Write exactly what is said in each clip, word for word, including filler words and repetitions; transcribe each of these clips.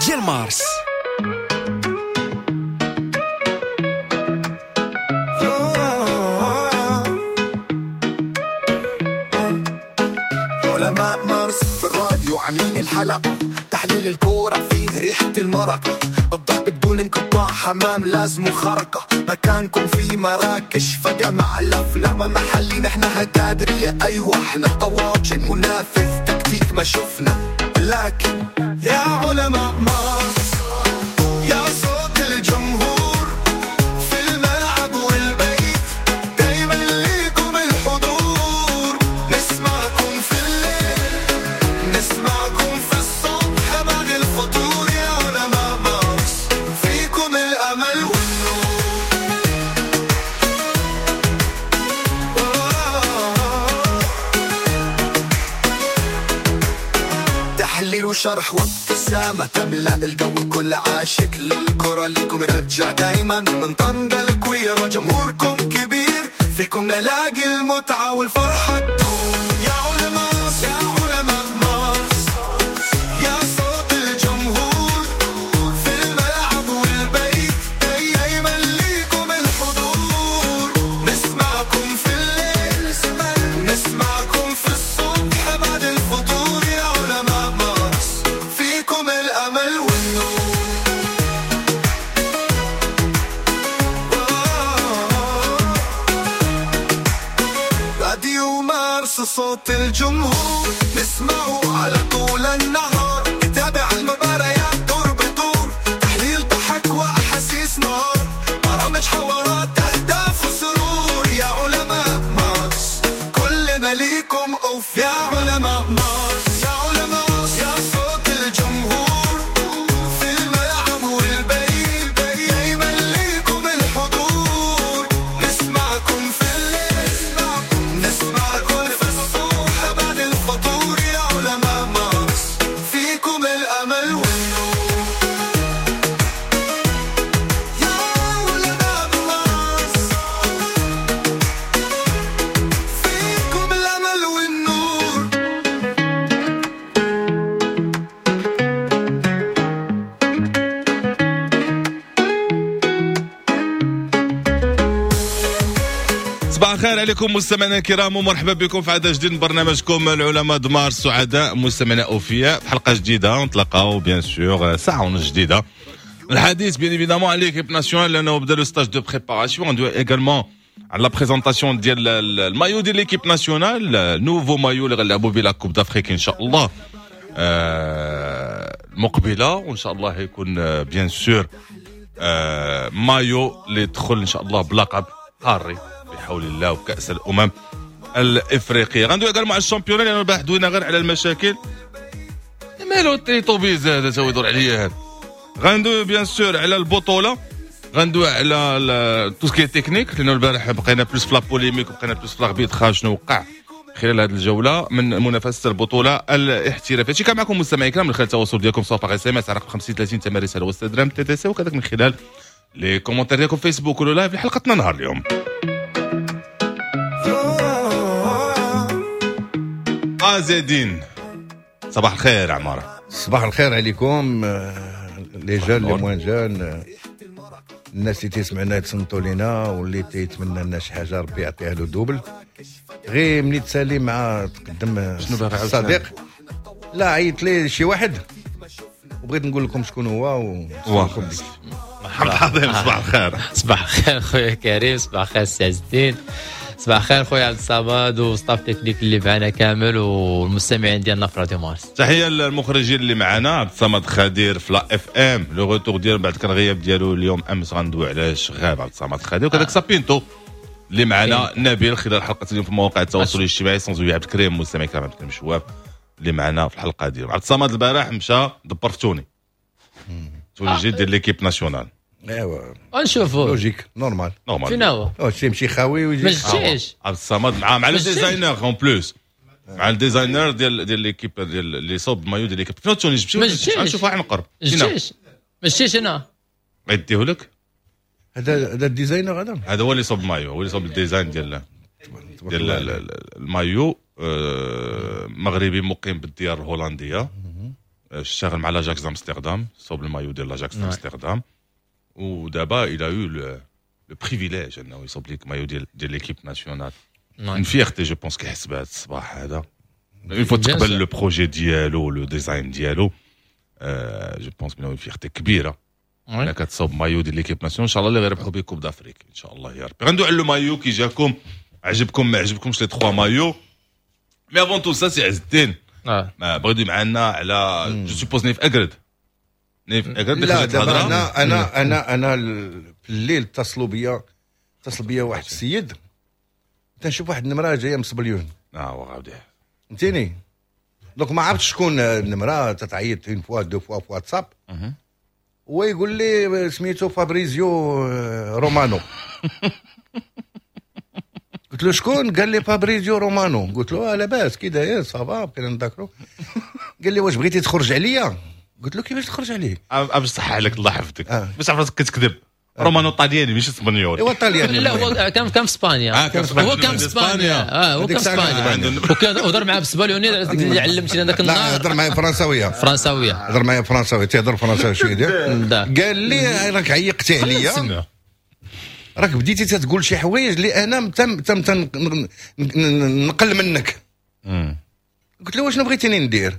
ديال مارس. علماء مارس في الراديو عاملين الحلقة، تحليل الكورة فيه ريحة المرق، الضحك بدون انقطاع، حمام لازم خرقة، مكانكم في مراكش فجمع الأفلام محلي، نحن هتادرية أيوة احنا طواجن، منافذ تكتيك ما شفنا، لكن يا علماء مارس يا صوت الجمهور في الملعب والبيت، دايما ليكم الحضور، نسمعكم في الليل نسمعكم في الصبح بعد الفطور، يا علماء مارس فيكم الأمل والنور. تحليل وشرح وابتسامة تملأ الجو، كل عاشق للكرة ليكم رجع دايما، من طنجة الكويرة جمهوركم كبير، فيكم نلاقي المتعة والفرحة تدوم. يا علماء يا علماء مارس يا صوت الجمهور في الملعب والبيت، دايما ليكم الحضور، نسمعكم في الليل نسمعكم في الصبح بعد الفطور، يا علماء مارس فيكم الأمل والنور. راديو مارس صوت الجمهور، نسمعه على طول النهار، نتابع المباريات دور بدور، تحليل ضحك وأحاسيس نار، برامج حوارات أهداف وسرور، يا علماء مارس كلنا ليكم أوف، يا علماء مارس يا علماء يا صوت الجمهور في الملعب والبيت، دايما ليكم الحضور، نسمعكم في الليل نسمعكم في الصبح بعد الفطور، يا علماء مارس فيكم الأمل والنور. يا علماء مارس فيكم الأمل والنور. صباح الخير عليكم مستمعينا الكرام، ومرحبا بكم في عدد جديد من برنامجكم العلماء د مارس. سعداء مستمعينا اوفياء في حلقة جديدة، ونتلاقاو bien sûr ساعة ونص جديدة. الحديث bien évidemment على l'équipe nationale، لانه بدا le stage de préparation، ندوي également على la présentation ديال المايو ديال l'équipe nationale، nouveau maillot اللي غنلعبوا به la Coupe d'Afrique ان شاء الله آه، المقبلة، وان شاء الله يكون bien sûr maillot اللي يدخل ان شاء الله بلقب قاري بحول الله وكأس الأمم الإفريقية. غندوي كاع مع ال championnat، لأنه البارح دوينا غير على المشاكل. مالو التريطوبيز هذا تا يدور عليا هذا. غندوي bien sûr على البطولة، غندوي على tout ce qui est technique، لأنه البارح بقينا plus في la polémique وبقينا plus في l'arbitrage، شنو وقع خلال هذه الجولة من منافسة البطولة الاحترافية. هادشي كان معكم مستمعي الكرام من خلال التواصل ديالكم سواء par SMS على رقم خمسين ثلاثين ثمن رسالة وستة درهم TTC، وكذلك من خلال les commentaires ديالكم فيسبوك ولا live لحلقتنا نهار اليوم. زيدين صباح الخير عمارة. صباح الخير عليكم les jeunes les moins jeunes، الناس اللي تيسمعنا يتصنتوا لينا واللي تيتمنى لنا شي حاجة ربي يعطيها له double. غير ملي تسالي مع تقدم شنو باغي عاوتاني؟ الصديق لا عيط لي شي واحد وبغيت نقول لكم شكون هو و محمد عظيم صباح الخير. صباح الخير خويا كريم، صباح الخير سي عز الدين، صباح الخير خويا عبد الصمد و staff technique اللي معنا كامل والمستمعين ديالنا في راديو مارس. تحية للمخرجين اللي معنا، عبد الصمد خدير في la FM، le retour ديالو بعد كان الغياب ديالو اليوم امس، غندوي علاش غاب عبد الصمد خدير، وكذلك سابينتو اللي معنا نبيل خلال حلقة اليوم في مواقع التواصل الاجتماعي، sans oublier عبد الكريم مستمع كرام عبد الكريم شواف اللي معنا في الحلقة ديالو. عبد الصمد البارح مشى دبر في توني توني جديد ديال l'équipe nationale. ايوا ونشوفوا logique normal normal فين هو؟ شي يمشي خاوي ويجي ما جيتش عبد الصمد مع مع le ما جيتش. designer en plus، مع ال designer ديال ديال l'équipe ديال اللي صوب مايو ديال l'équipe. فين توني جبتي؟ ما جيتش. نشوف واحد نقرب جيتش ما جيتش انا غيديه لك. هذا هذا ال designer هذا هذا هو اللي صوب مايو، هو اللي صوب ال design ديال ديال المايو. آه، مغربي مقيم بالديار الهولندية. اشتغل مع l'Ajax امستردام، صوب المايو ديال l'Ajax امستردام، ودابا il a eu le privilège انه يصوب لك مايو ديال ديال l'équipe nationale. une fierté je pense كيحس بهذا الصباح هذا. il faut تقبل le projet ديالو، le design ديالو، je pense بانه fierté كبيرة انك تصوب مايو ديال l'équipe nationale. ان شاء الله اللي غيربحوا به Coupe d'Afrique ان شاء الله يا ربي. غندوي على le maillot، كي جاكم، عجبكم ما عجبكمش les trois maillots؟ mais avant tout ça سي عز الدين ما بغيتو معنا على je suppose نايف اكرد، نايف اكرد. لا دابا انا انا انا انا في الليل اتصلوا بيا اتصل بيا واحد السيد، تنشوف واحد النمرة جاية من سبليون. اه وغادي فهمتيني، donc ما عرفتش شكون النمرة، تتعيط une fois deux fois في واتساب، هو يقول لي سميتو فابريزيو رومانو. قلت له شكون؟ قال لي فابريزيو رومانو. قلت له لاباس كي داير ça va، بقينا نذاكرو. قال لي واش بغيتي تخرج عليا؟ قلت له كيفاش تخرج عليك؟ باش صح عليك الله يحفظك، باش عرفتك كتكذب. رومانو طالياني ماشي اسبانيول. ايوا طالياني. لا هو كان كان في اسبانيا، هو كان في اسبانيا، اه هو كان في اسبانيا وكان هضر معاه بالسباليوني اللي علمتينا ذاك النهار. لا هضر معايا فرنساويه، فرنساويه هضر معايا فرنساويه، تيهضر فرنساوي شوية ديال. قال لي راك عيقتي عليا، راك بديتي تتقول شي حوايج اللي انا تم تم نقل منك. قلت له واش بغيتيني ندير؟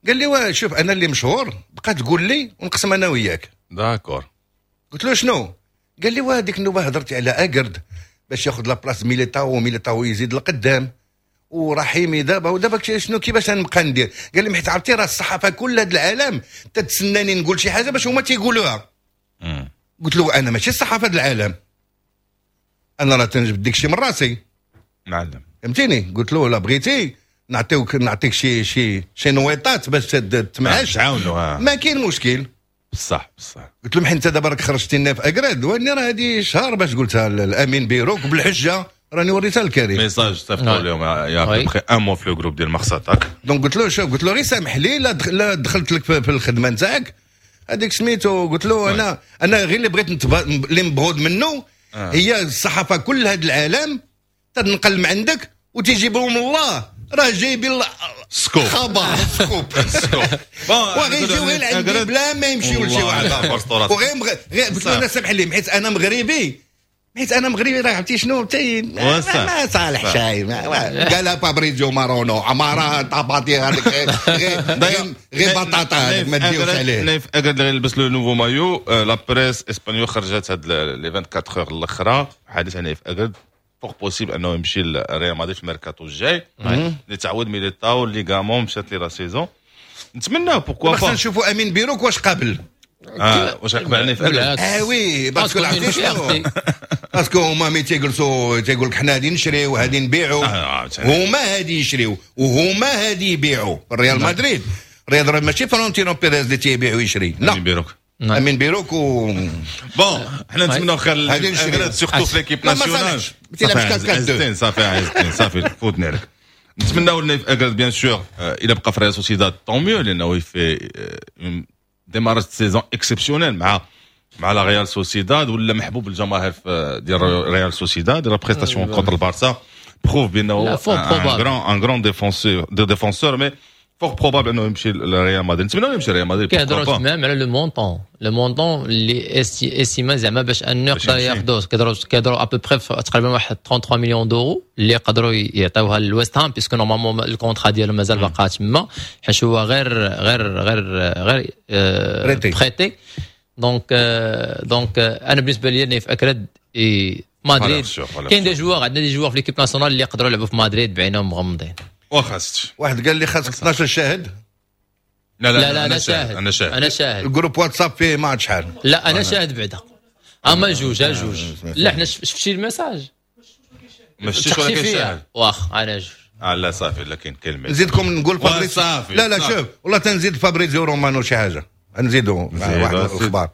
قال لي واه شوف انا اللي مشهور، بقى تقول لي ونقسم انا وياك. d'accord. قلت له شنو؟ قال لي واه ديك النوبة هضرتي على اكرد باش ياخذ la place ميليتاو، وميليتاو يزيد لقدام، ورحيمي دابا ودابا شنو كيفاش نبقى ندير؟ قال لي حيت عرفتي راه الصحافة كل هذا العالم تتسناني نقول شي حاجة باش هما تيقولوها. قلت له انا ماشي الصحافة العالم، انا راه تنجبد ديك الشيء من راسي معلم، فهمتيني؟ قلت له لا بغيتي نعطيوك نعطيك شي شي شي نويطات باش تمعاش تعاونوا، ما كاين مشكل. بصح بصح. قلت لهم حيت انت دابا راك خرجتي لنا في اكراد، واني راه هذه شهر باش قلتها الامين بيروك بالحجة، راني وريتها لكريم message صيفطوا لهم il y a à peu près un mois في le groupe ديال Mars Attack. donc قلت له شوف، قلت له غير سامح لي لا دخلت لك في الخدمة نتاعك هذيك سميتو. قلت له انا انا غير اللي بغيت اللي مبغوض منه آه. هي الصحافة كل هذا العالم تنقل من عندك وتيجيبهم الله، راه جايبين scoop خبر scoop scoop وغيجيو غير عندي بلا ما يمشيو لشي واحد اخر. وغير غير قلت له انا سامح لي حيت انا مغربي، حيت انا مغربي راه عرفتي شنو تي ما صالح شاي. قالها فابريزيو مارونو عمارة طاباطي هذيك غير غير بطاطا هذيك ما ديوش عليه. نايف اكرد اللي لبس le nouveau maillot، la presse espagnole خرجت هاد les أربعة وعشرين heures الاخرى حديث عن نايف اكرد، fort possible انه يمشي لريال مدريد في الميركاتو الجاي لتعويض ميليتاو اللي كامون مشات لي la saison. نتمنى pourquoi pas. خصنا نشوفوا امين بيروك واش قابل، اه واش قبل نايف اكرد. اه oui parce que عرفتي شنو، parce que هما ملي تيجلسوا تيقول لك حنا غادي نشريو وغادي نبيعوا، هما غادي يشريو وهما غادي يبيعوا. ريال مدريد ريال ماشي فلورنتينو بيريز اللي تيبيع ويشري، لا امين بيروك، امين بيروك و bon حنا نتمناو خير surtout في l'équipe nationale. صافي صافي عز صافي فوتني عليك. نتمناو لنايف اكرد bien sûr الى بقى في ريال سوسيداد tant mieux، لانه il fait démarrage saison exceptionnel مع مع لا ريال سوسيداد، ولا محبوب الجماهير ديال ريال سوسيداد. la prestation contre البارسا prouve بانه un grand un grand défenseur de défenseur، mais fort probable انه يمشي لريال مدريد. نتمنى يمشي لريال مدريد. كيهضروا même على le montant، le montant اللي estimé زعما باش انه يقدر ياخذوه، كيهضروا كيهضروا à peu près تقريبا واحد ثلاثة وثلاثين مليون d'euros اللي يقدروا يعطيوها للويست هام، puisque normalement ال contrat ديالو مازال باقا تما، حيت هو غير غير غير غير prêté. donc donc انا بالنسبة لي نايف اكرد مدريد كاين des joueurs، عندنا des joueurs في l'équipe nationale اللي يقدروا يلعبوا في مدريد بعينهم مغمضين. واخا واحد قال لي خاصك اثنا عشر شاهد. لا لا, لا, لا انا شاهد، انا شاهد، انا شاهد. ال groupe واتساب فيه ما عاد شحال. لا انا شاهد بعدا، اما جوج جوج. لا حنا شفتي ال message ما شفتيش ولا كاين شاهد. واخ انا جوج. اه لا صافي، لا كاين كلمة نزيدكم نقول فابريزيو. لا لا شوف والله تنزيد فابريزيو رومانو شي حاجة، نزيدو واحد الاخبار.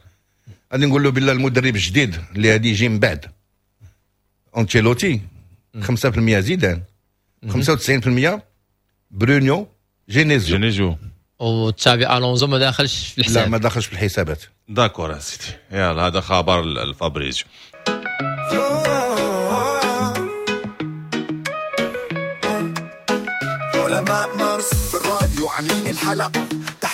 غادي نقول له بالله المدرب الجديد اللي غادي يجي من بعد انشيلوتي خمسة بالمية زيدان، خمسة وتسعين بالمية برونو جينيزيو جينيزيو وتشافي الونزو ما داخلش في الحساب. لا ما داخلش في الحسابات. d'accord سيدي، يلا هذا خبر الفابريزيو. علماء مارس في الراديو عاملين الحلقة،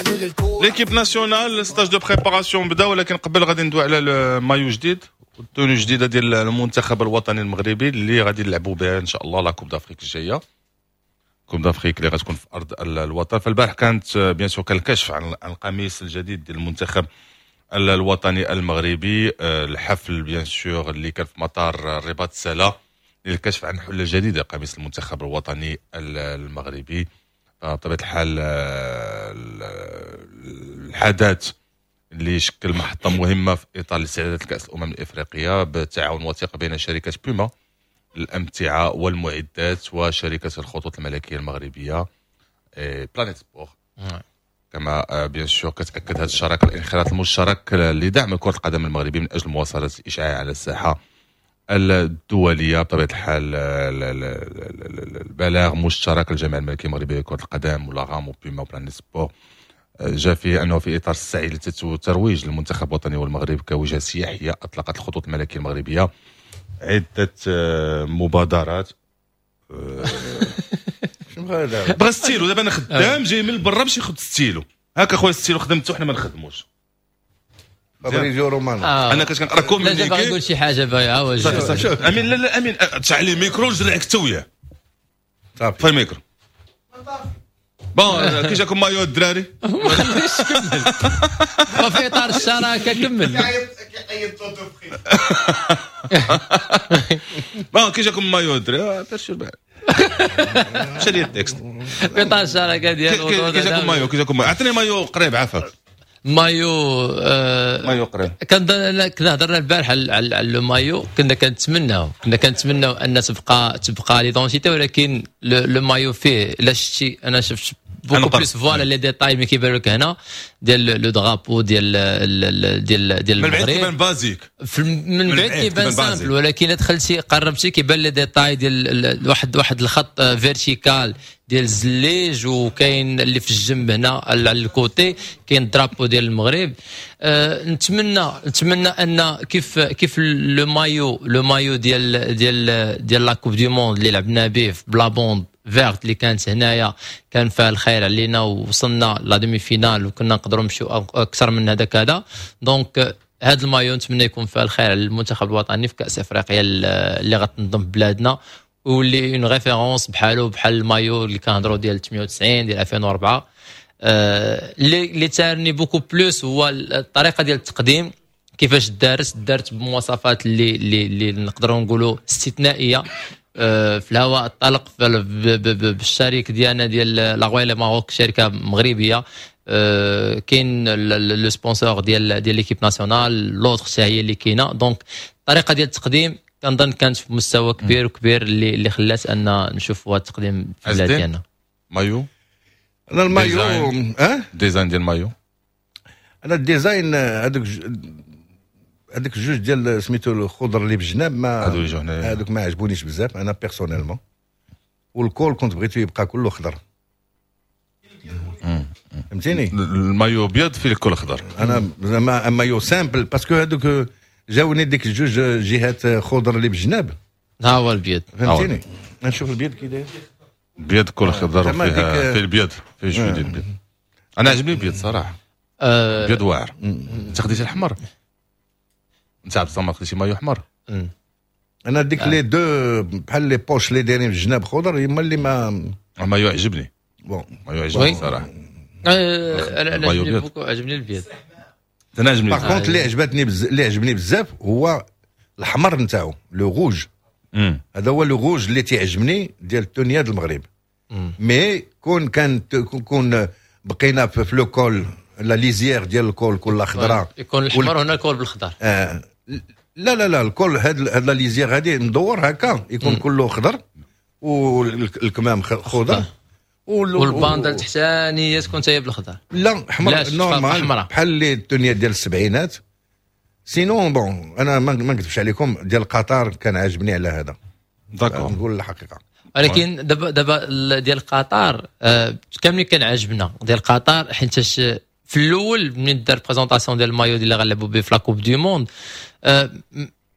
تحليل الكورة l'équipe nationale stage de préparation بدا، ولكن قبل غادي ندوي على المايو جديد وال tenue جديدة ديال المنتخب الوطني المغربي اللي غادي نلعبوا بها ان شاء الله la Coupe d'Afrique الجايه، Coupe d'Afrique اللي غتكون في ارض الوطن. فالبارح كانت bien sûr كان الكشف عن القميص الجديد ديال المنتخب الوطني المغربي. الحفل bien sûr اللي كان في مطار الرباط سلا للكشف عن حله جديدة قميص المنتخب الوطني المغربي. بطبيعة الحال الحدث اللي شكل محطة مهمة في اطار الاستعدادات لكاس الامم الافريقية بتعاون وثيق بين شركة بوما الامتعة والمعدات وشركه الخطوط الملكية المغربية Planet Sport. كما bien sûr كتاكد هذه الشراكة الانخراط المشترك لدعم كره القدم المغربية من اجل مواصلة الاشعاع على الساحة الدوليه. بطبيعة الحال البلاغ مشترك الجامعة الملكية المغربية لكرة القدم و la RAM و Puma و Planet Sport جاء فيه انه في اطار السعي للترويج للمنتخب الوطني والمغرب كوجهه سياحية اطلقت الخطوط الملكية المغربية عده مبادرات. بغى ستيلو دابا، انا خدام جاي من برا باش ياخذ ستيلو. هاكا خويا ستيلو خدمته، حنا ما نخدموش. فابريزيو رومانو. آه. انا كنت كنقرا communiqué. لا، باغي يقول شي حاجه، باغي. صافي صافي امين، لا لا امين، تشعل الميكرو نجرعك انت وياه. صافي. في ال micro. bon، كي جاكم مايو الدراري؟ ما خليش كمل، وفي اطار الشراكة كمل. كيعيط توتو. bon، كي جاكم مايو الدراري؟ دار بعد مشى لي ال texte. في اطار الشراكة ديالو. كي جاكم مايو؟ كي جاكم مايو؟ عطيني مايو قريب عافاك. مايو آه مايو قريب. كنا كنا هضرنا البارح على le maillot، كنا كنتمناو كنا كنتمناو ان تبقى تبقى l'identité، ولكن le maillot فيه لا شتي، انا شفت beaucoup plus voilà les détails mais كيبان لك هنا ديال le drapeau ديال ديال ديال من بعيد كيبان basique. من بعيد كيبان simple، ولكن دخلتي قربتي كيبان les détails ديال واحد واحد الخط vertical ديال الزليج، وكاين اللي في الجنب هنا على ال côté كاين drapeau ديال المغرب. أه نتمنى نتمنى ان كيف كيف le maillot le maillot ديال ديال ديال la Coupe du monde اللي لعبنا به ب la bande verte اللي كانت هنايا، كان فيها الخير علينا ووصلنا la demi-finale وكنا نقدروا نمشيو اكثر من هذا كذا. donc هذا المايو نتمنى يكون فيها الخير على المنتخب الوطني في كاس افريقيا اللي غتنظم في بلادنا، واللي une référence بحالو بحال المايو اللي كنهضروا ديال ثمانية وتسعين، ديال ألفين وأربعة. آه، اللي اللي تارني beaucoup plus هو الطريقة ديال التقديم، كيفاش دارت دارت بمواصفات اللي اللي, اللي نقدروا نقولوا استثنائيه، آه، في الهواء الطلق بالشريك ديالنا ديال la Royal Maroc، شركة مغربيه. آه، كاين le sponsor ديال ديال l'équipe nationale، l'autre هي اللي كاينه. donc الطريقة ديال التقديم كنظن كانت في مستوى كبير وكبير اللي اللي خلات ان نشوفوا هذا التقديم في البلاد ديالنا. مايو. انا المايو اه design ديال مايو. انا ال design هذوك هذوك الجوج ديال سميتو الخضر اللي بالجناب ما هذوك ما عجبونيش بزاف انا personnellement، وال col كنت بغيتو يبقى كله خضر، فهمتيني؟ المايو ابيض فيه الكل خضر. انا زعما maillot simple parce que هذوك جاوني ديك الجوج جهات خضر اللي بالجناب. ها هو البيض. فهمتيني؟ نشوف البيض كي داير. البيض كل خضر فيها، فيه البيض، فيه شوية ديال البيض. انا عجبني البيض صراحه. أه البيض واعر. انت خديتي الحمر، انت عبد الصمد خديتي مايو احمر. انا ديك les deux بحال les poches اللي دايرين في الجناب خضر هما اللي ما مايو عجبني. bon. مايو عجبني صراحه. انا انا عجبني beaucoup، عجبني البيض. انا عجبني. par contre اللي عجبتني بز... اللي عجبني بزاف هو الحمر نتاعو، le rouge. هذا هو le rouge اللي تيعجبني ديال ال tenue ديال المغرب. mais كون كان كون بقينا في le col، la lisière ديال ال col كلها خضراء. يكون الحمر هنا، ال col بالخضر. آه لا لا لا، ال col هاد هاد la lisière هادي ندور هكا يكون كله خضر والكمام خضر. وال bande التحتانيه تكون هي بالخضر. لا، حمر normal بحال اللي ال tenue ديال السبعينات. sinon bon، انا ما نكذبش عليكم، ديال قطر كان عاجبني على هذا. d'accord. نقول الحقيقه. ولكن دابا دابا ديال قطر آه كاملين كان عاجبنا ديال قطر، حيت في الاول منين دار présentation ديال المايو ديال اللي غنلعبوا به في la Coupe du monde، آه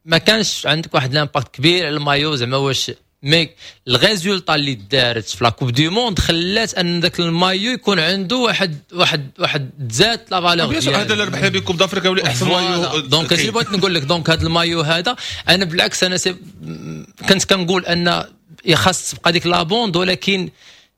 ما كانش عندك واحد l'impact كبير على المايو، زعما واش mais ال résultat اللي دارت في la Coupe du Monde خلات ان ذاك المايو يكون عنده واحد واحد واحد تزاد la valeur. هذا اللي ربحنا به Coupe d'Afrique ولي احسن maillot. donc هادشي اللي بغيت نقول لك. donc هذا المايو هذا انا بالعكس انا c'est كنت كنقول ان خاص تبقى ديك la bande، ولكن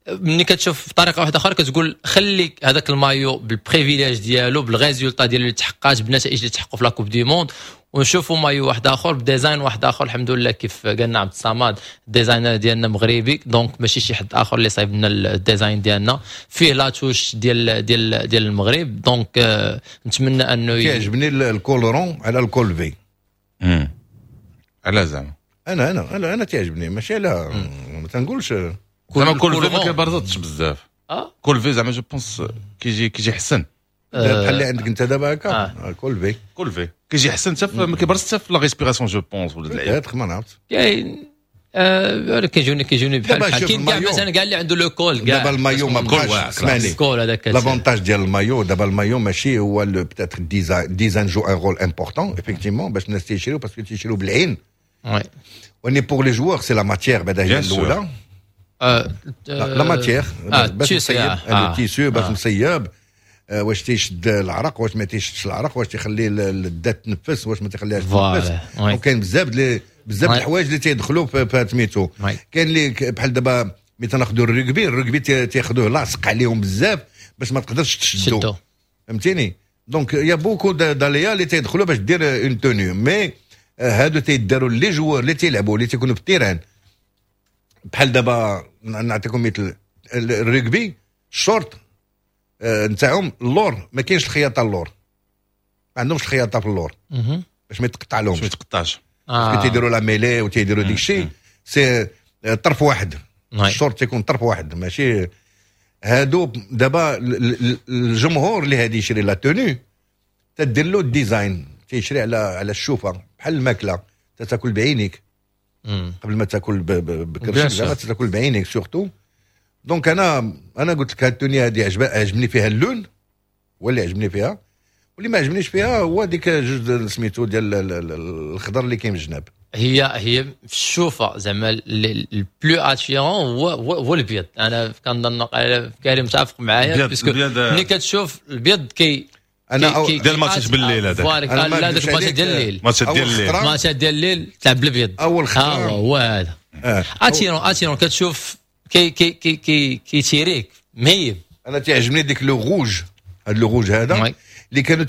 ملي كتشوف بطريقة واحدة اخرى كتقول خلي هذاك ال maillot بال privilège ديالو، بال résultat ديالو اللي تحققات، بالنتائج اللي تحققوا في la Coupe du Monde، ونشوفوا مايو واحد اخر ب design واحد اخر. الحمد لله كيف قالنا عبد الصمد ال designer ديالنا مغربي، donc ماشي شي حد اخر اللي صايب لنا ال design ديالنا، فيه la touche ديال ديال ديال المغرب. donc آه نتمنى انه كيعجبني ال col rond على ال col V. على زعما انا انا انا انا تعجبني، ماشي على ما تنقولش زعما col V ما كيبرزطش بزاف. اه col V زعما je pense كيجي كيجي حسن. بحال اللي عندك انت دابا هكا آه. col V col V كيجي حسن حتى ما كيبرزش حتى في la respiration je pense ولا اللعيبة ما نعرفت. كاين آه كيجوني كيجوني بحال بحال كاين كاع مثلا كاع اللي عنده le col كاع. دابا المايو ما بقاش، اسمعني، col هذاك l'avantage ديال المايو دابا، المايو ماشي هو peut-être design design joue un rôle important effectivement باش الناس تيشريو، parce que تيشريو بالعين. oui وني pour les joueurs c'est la matière بعدا هي الاولى، la matière باش مصيب، le tissu باش مصيب، واش تيشد العرق، واش ما تيشدش العرق، واش تيخلي الذات تنفس، واش ما تيخليهاش تنفس. وكاين بزاف بزاف الحوايج اللي تيدخلوا في سميتو. كاين اللي بحال دابا ملي تناخذوا ال rugby، ال rugby تياخذوه لاصق عليهم بزاف باش ما تقدرش تشدو، فهمتيني؟ donc y a beaucoup d'aléas اللي تيدخلوا باش دير une tenue. mais هادو تيداروا les joueurs اللي تيلعبوا، اللي تيكونوا في ال terrain. بحال دابا نعطيكم مثل ال rugby، ال short نتاعهم اللور ما كاينش الخياطه، اللور ما عندهمش الخياطة في اللور باش ما يتقطع لهمش. باش ما يتقطعش. آه. تيديروا la mêlée وتيديروا ديك الشيء، c'est طرف واحد، الشورت تيكون طرف واحد. ماشي هادو دابا الجمهور اللي هادي يشري la tenue تدير له ال design، تيشري على على الشوفه، بحال الماكله، تاكل بعينيك قبل ما تاكل بكرشك، زعما تاكل بعينيك surtout. donc انا انا قلت لك هاد ال tenue هادي عجبني فيها اللون هو اللي عجبني فيها، واللي ما عجبنيش فيها هو ديك جوج سميتو ديال الخضر اللي كاين في الجناب. هي هي في الشوفه زعما ال plus attirant هو هو الابيض. انا كنظن كريم متفق معايا، parce que ملي كتشوف الابيض كي انا أو ديال الماتش بالليل هذاك، لا داك الماتش ديال الليل، ماتش ديال الليل، ماتش ديال الليل تلعب بالابيض. اول خطره هو هذا attirant attirant كتشوف كي كي كي كي كيتيريك مهيب. انا تعجبني ديك le rouge، هذا le rouge هذا اللي كانوا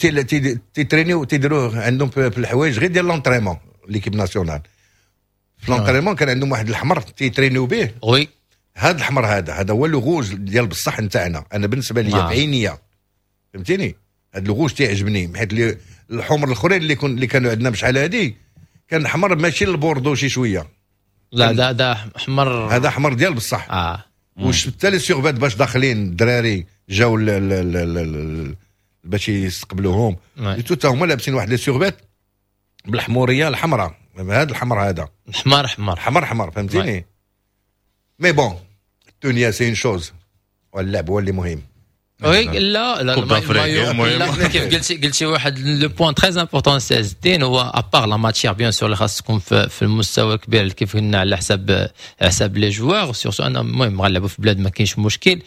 تيترينيو تيديروه عندهم في الحوايج غير ديال l'entraînement. l'équipe nationale في l'entraînement كان عندهم واحد الحمر تيترينيو به. oui هذا الحمر هذا هذا هو le rouge ديال بصح نتاعنا. انا بالنسبة لي بعينيا، فهمتيني؟ هذا le rouge تيعجبني، حيت الحمر الاخرين اللي كن اللي كانوا عندنا بشحال هادي كان حمر ماشي البوردو شي شويه. لا ده ده حمر، هذا حمر ديال بصح. اه وشفت حتى les survêts باش داخلين الدراري جاو باش يستقبلوهم حتى هما لابسين واحد les survêts بالحموريه الحمراء، هذا الحمر هذا حمر حمر حمر حمر، فهمتيني؟ mais bon ال tenue c'est une chose واللعب هو اللي مهم. oui لا لا لا كيف قلتي قلتي واحد le point très important سي الدين، هو à part la matière bien sûr اللي خاص تكون في, في المستوى الكبير كيف قلنا على حساب على حساب les joueurs، surtout انا المهم غنلعبوا في بلاد ما كاينش مشكل.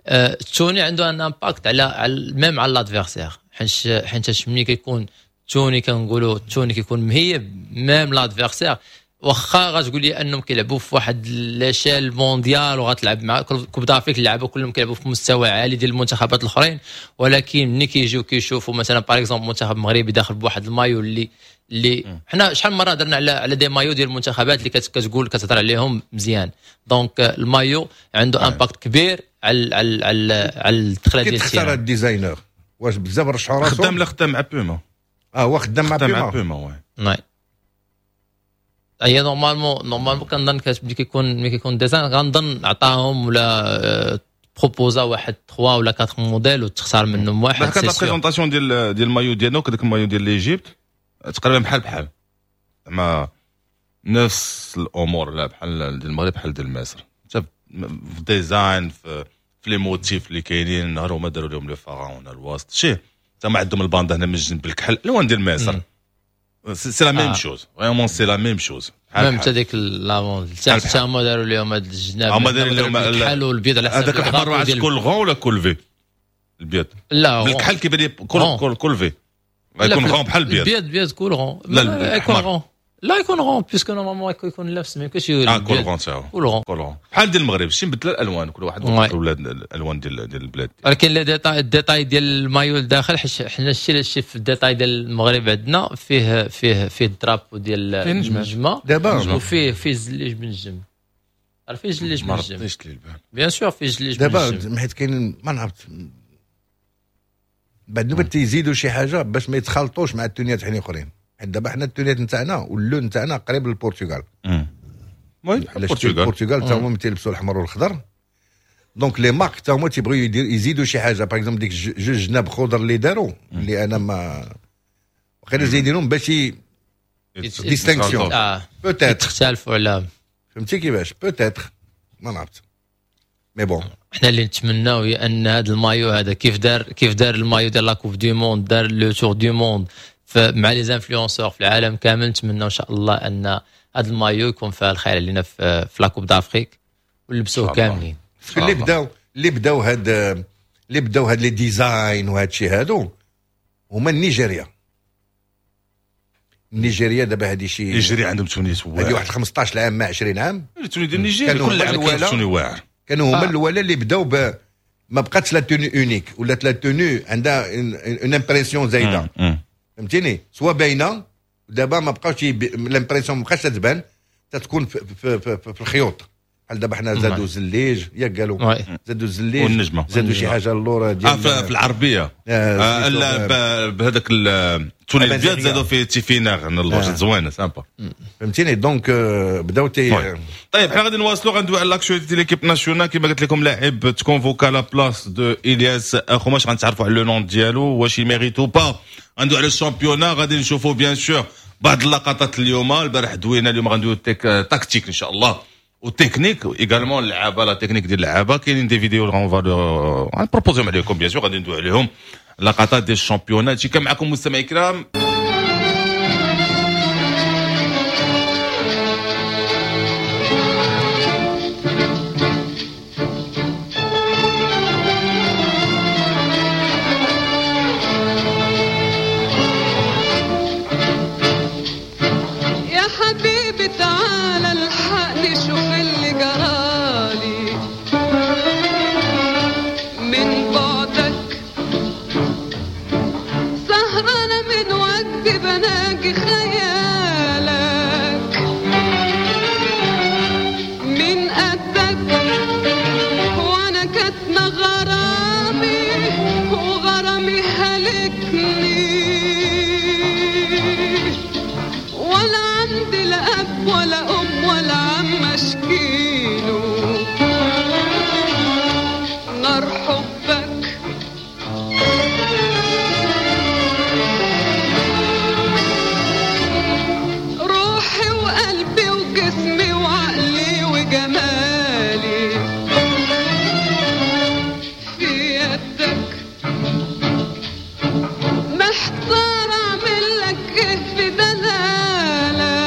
ال tenue عنده un impact على même على l'adversaire، حيت حيت ملي كيكون tenue كنقولوا tenue كيكون مهيب même l'adversaire، واخا غتقول لي انهم كيلعبوا في واحد l'échelle mondiale وغتلعب مع Coupe d'Afrique، اللعابه كلهم كيلعبوا في مستوى عالي ديال المنتخبات الاخرين، ولكن ملي كيجيو كيشوفوا مثلا par exemple المنتخب المغربي داخل بواحد المايو اللي اللي حنا شحال من مرة درنا على على des maillots ديال المنتخبات اللي كتقول كتهضر عليهم مزيان. donc ال maillot عنده impact كبير على على على على الدخلة ديال تختار ال designer واش بزاف رشحوا راسهم؟ خدام، لا خدام مع بوما. اه هو خدام مع بوما، مع بوما. oui هي normalement normalement كنظن ملي كيكون ملي كيكون design غنظن عطاهم ولا proposa واحد ثلاثة ولا أربعة موديل وتختار منهم واحد. كانت la présentation ديال ديال المايو ديالنا وكذاك المايو ديال l'Égypte تقريبا بحال بحال، زعما نفس الامور، لا بحال ديال المغرب بحال ديال مصر، حتى في design، في في les motifs اللي كاينين. نهار هما داروا لهم les pharaons الوسط شي تما عندهم ال bande هنا من الجنب بالكحل، الوان ديال مصر. c'est la même chose، vraiment c'est la même chose. même حتى ديك l'avant حتى هما داروا لهم هاد الجناب، هما داروا لهم الكحل والبيض على حسب هذاك الاحمر. عرفت col rond ولا col V؟ البيض لا الكحل كيبان لي col col col V، غيكون rond بحال البيض. البيض بيض col rond. لا يكون rond، لا يكون rond puisque normalement يكون لابس ما يمكنش. اه col rond تاعو col rond col rond بحال ديال المغرب، شي مبدله الالوان، كل واحد ولاد الالوان ديال ديال البلاد. ولكن les détails، ال détail ديال المايو الداخل، حيت حنا الشيء الشيء في ال détail ديال المغرب عندنا فيه فيه فيه ال drapeau ديال النجمة دابا، وفيه فيه زليج بن الجم، فيه زليج بن الجم. ما رديتش لي البال. bien sûr فيه زليج. دابا حيت كاين ما نعرفت بعد نوبه تيزيدوا شي حاجة باش ما يتخلطوش مع التونيات حين اخرين، حيت دابا حنا التونيات نتاعنا واللون نتاعنا قريب للبرتغال. البرتغال البرتغال تا هما تيلبسوا الاحمر والخضر، donc les marques تا هما تيبغيو يزيدوا شي حاجة. par exemple ديك جوج جناب خضر اللي داروا، اللي انا ما غير زايدينهم باش distinction peut-être تختلفوا على، فهمتي كيفاش؟ peut-être ما نعرفت mais bon. حنا اللي نتمناو هي ان هذا المايو هذا كيف دار كيف دار المايو ديال la Coupe du monde، دار le tour du monde مع les influenceurs في العالم كامل. نتمنى ان شاء الله ان هذا المايو يكون فيها الخير علينا في في la Coupe d'Afrique ونلبسوه كاملين. اللي بداو اللي بداو هاد اللي بداو هاد les designs وهاد الشيء هادو هما النيجيريا. النيجيريا دابا هادي شي نيجيريا عندهم tenue واعر، هادي واحد خمسطاش عام ما عشرين عام. tenue ديال نيجيريا كل عام tenue واعر. كانوا هما الاولى اللي بداو ب ما بقاتش la tenue unique، ولات la tenue عندها une impression زايدة، فهمتيني؟ soit باينة دابا ما بقاوش l'impression، ما بقاش تبان، تتكون في, في, في, في, في الخيوط. بحال دابا حنا زادوا زليج، ياك قالوا زادوا الزليج والنجمه، زادوا شي حاجة اللورا ديال آه في العربية آه لا بهذاك ال tenue الابيض زادوا فيه تيفيناغ اللور زوينة sympa، فهمتيني؟ donc بداو تي. طيب حنا غادي نواصلوا، غندوي على l'actualité ديال l'équipe nationale. كما قلت لكم لاعب تكونفوكا la place de الياس اخوماش، غنتعرفوا على le nom ديالو واش il mérite ou pas. غندوي على ال championnat، غادي نشوفوا bien sûr بعض اللقطات اليوم. البارح دوينا، اليوم غندويو tactique ان شاء الله و technique également، اللعابه la technique ديال اللعابه. كاينين des vidéos on va غنبروبوزيهم عليكم bien sûr، غادي ندوي عليهم لقطات ديال ال championnat. هادشي كان معكم مستمعي الكرام. يا حبيبي تعالى الحقني شوف اللي جرالي من بعدك، سهرانة من وجدي بناجي خيالك من قدك، وانا كاتمة غرامي وغرامي هلكني، ولا عندي لا أب ولا أم ولا عم أشكيله نار حبك. روحي وقلبي وجسمي وعقلي وجمالي في يدك، محتار أعمل لك إيه في دلالك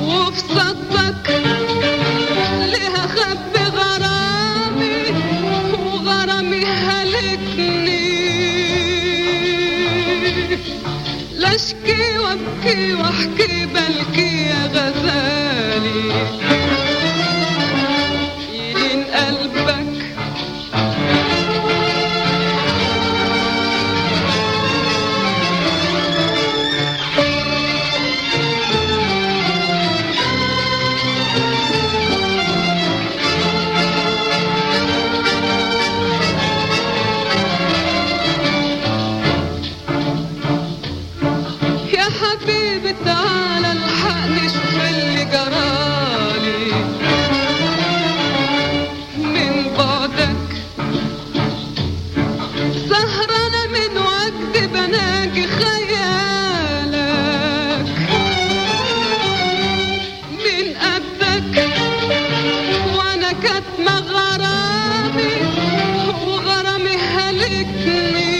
وفي صدك، ليه أخبي غرامي وغرامي هلكني، لا أشكي وأبكي وأحكي بلكي يا غزالي يلين قلبك. يا حبيبي تعالى الحقني شوف اللي جرالي من بعدك، سهرانة من وجدي بناجي خيالك من قدك، وانا كاتمة غرامي وغرامي هلكني،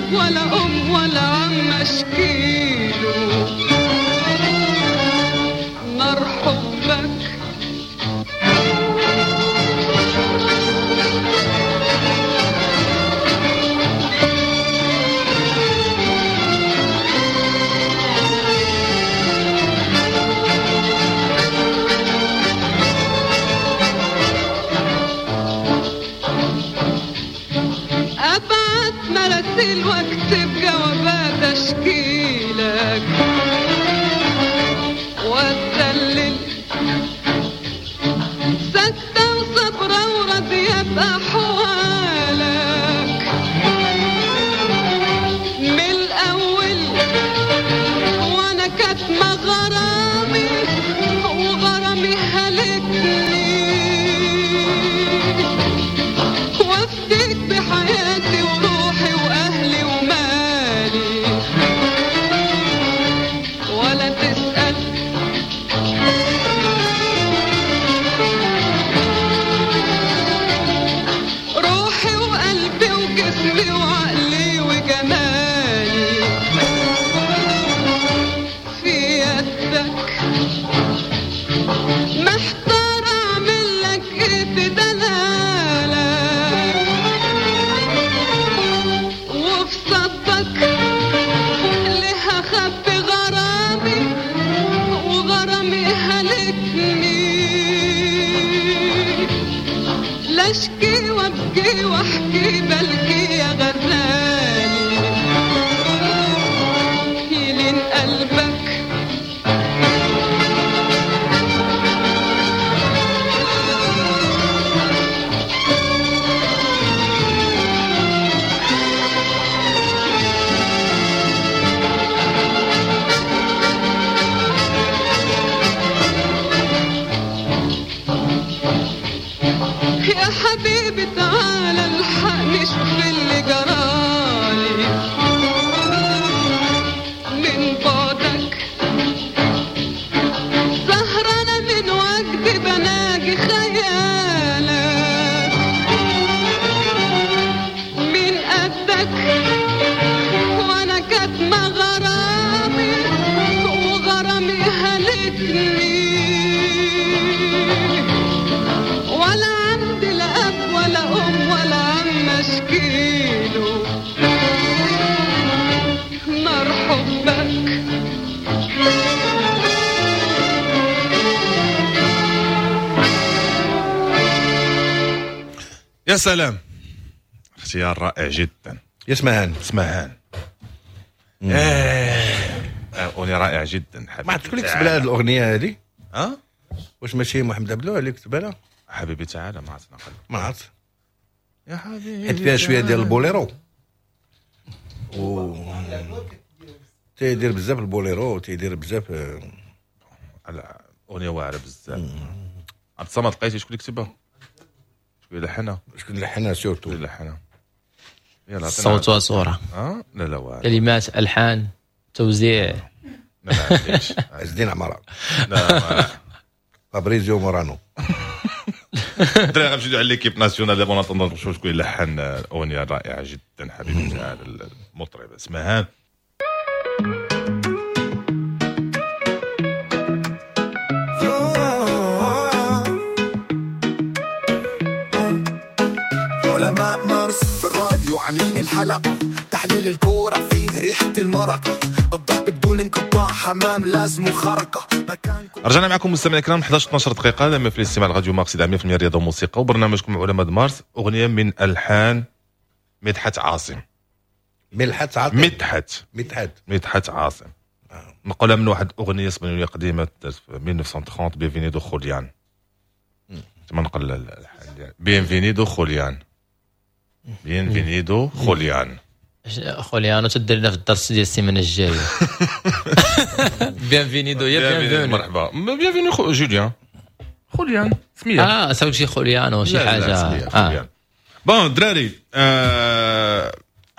اب ولا ام ولا عم اشكيله نار حبك. مراسيل واكتب جوابات اشكيلك واتسلل سكتة وصبرة وراضية بأحوالك من الأول، وأنا كاتمة غرامي وغرامي هلكني، وافديك بحياتي وروحي وأهلي ومالي ولا تسأل. روحي وقلبي وجسمي وعقلي وجمالي في يدك، محتار أعمل لك إيه في دلالك وفي صدك، ليه هخبي غرامي وغرامي هلكني، لا اشكي وابكي واحكي بلكي يا غزالي يلين قلبك. يا حبيبي تعالى الحقني شوف اللي جرالي من بعدك، سهرانة من وجدي بناجي خيالك من قدك، وانا كاتمة غرامي وغرامي هلكني، ولا عندي لا اب ولا ام ولا عم اشكيله نار حبك. يا سلام، اختيار رائع جدا. يسمعان اسمعان ايه اغنية رائعة جدا. حبيبي ما عرفت شكون اللي كتب لها هذه الاغنية هذه؟ اه واش ماشي محمد عبدو اللي كتبها لها؟ حبيبي تعالى ما عرفت نقل ما عرفت يا حبيبي، حيت فيها شوية ديال البوليرو و تيدير بزاف البوليرو، تيدير بزاف على اغنية واعرة بزاف. عبد الصمد لقيتي شكون اللي كتبها؟ شكون اللي لحنها؟ شكون اللي لحنها surtout؟ شكون اللي لحنها؟ يلا صوت وصوره، اه لا لا واعر، كلمات الحان توزيع. لا لا عز الدين عمارة، لا فابريزيو مورانو. الدراري غنمشيو على l'équipe nationale دابا نظن نشوف شكون اللي لحن الاغنية الرائعة جدا حبيبي تعالى المطرب اسمها. علماء مارس في الراديو عاملين الحلقة، تحليل الكورة فيه ريحة المرق، الضرب بدون انقطاع، حمام لازم خرقة. رجعنا معكم مستمعينا الكرام إحدى عشر اثنا عشر دقيقة لما في الاستماع لراديو مارس مية بالمية رياضة وموسيقى وبرنامجكم علماء مارس. أغنية من ألحان مدحت عاصم. مدحت عاصم مدحت مدحت مدحت عاصم نقولها من واحد أغنية اسبانيولية قديمة في ألف وتسعمية وثلاثين Bienvenido Julián. تما نقل الألحان ديال Bienvenido Julián. Bienvenido Julián. خوليانو تدير لنا في الدرس ديال السيمانة الجاية. Bienvenido يا bienvenue، مرحبا bienvenue جوليان خوليان سميه اه سوي شي خوليانو شي حاجة اه bon الدراري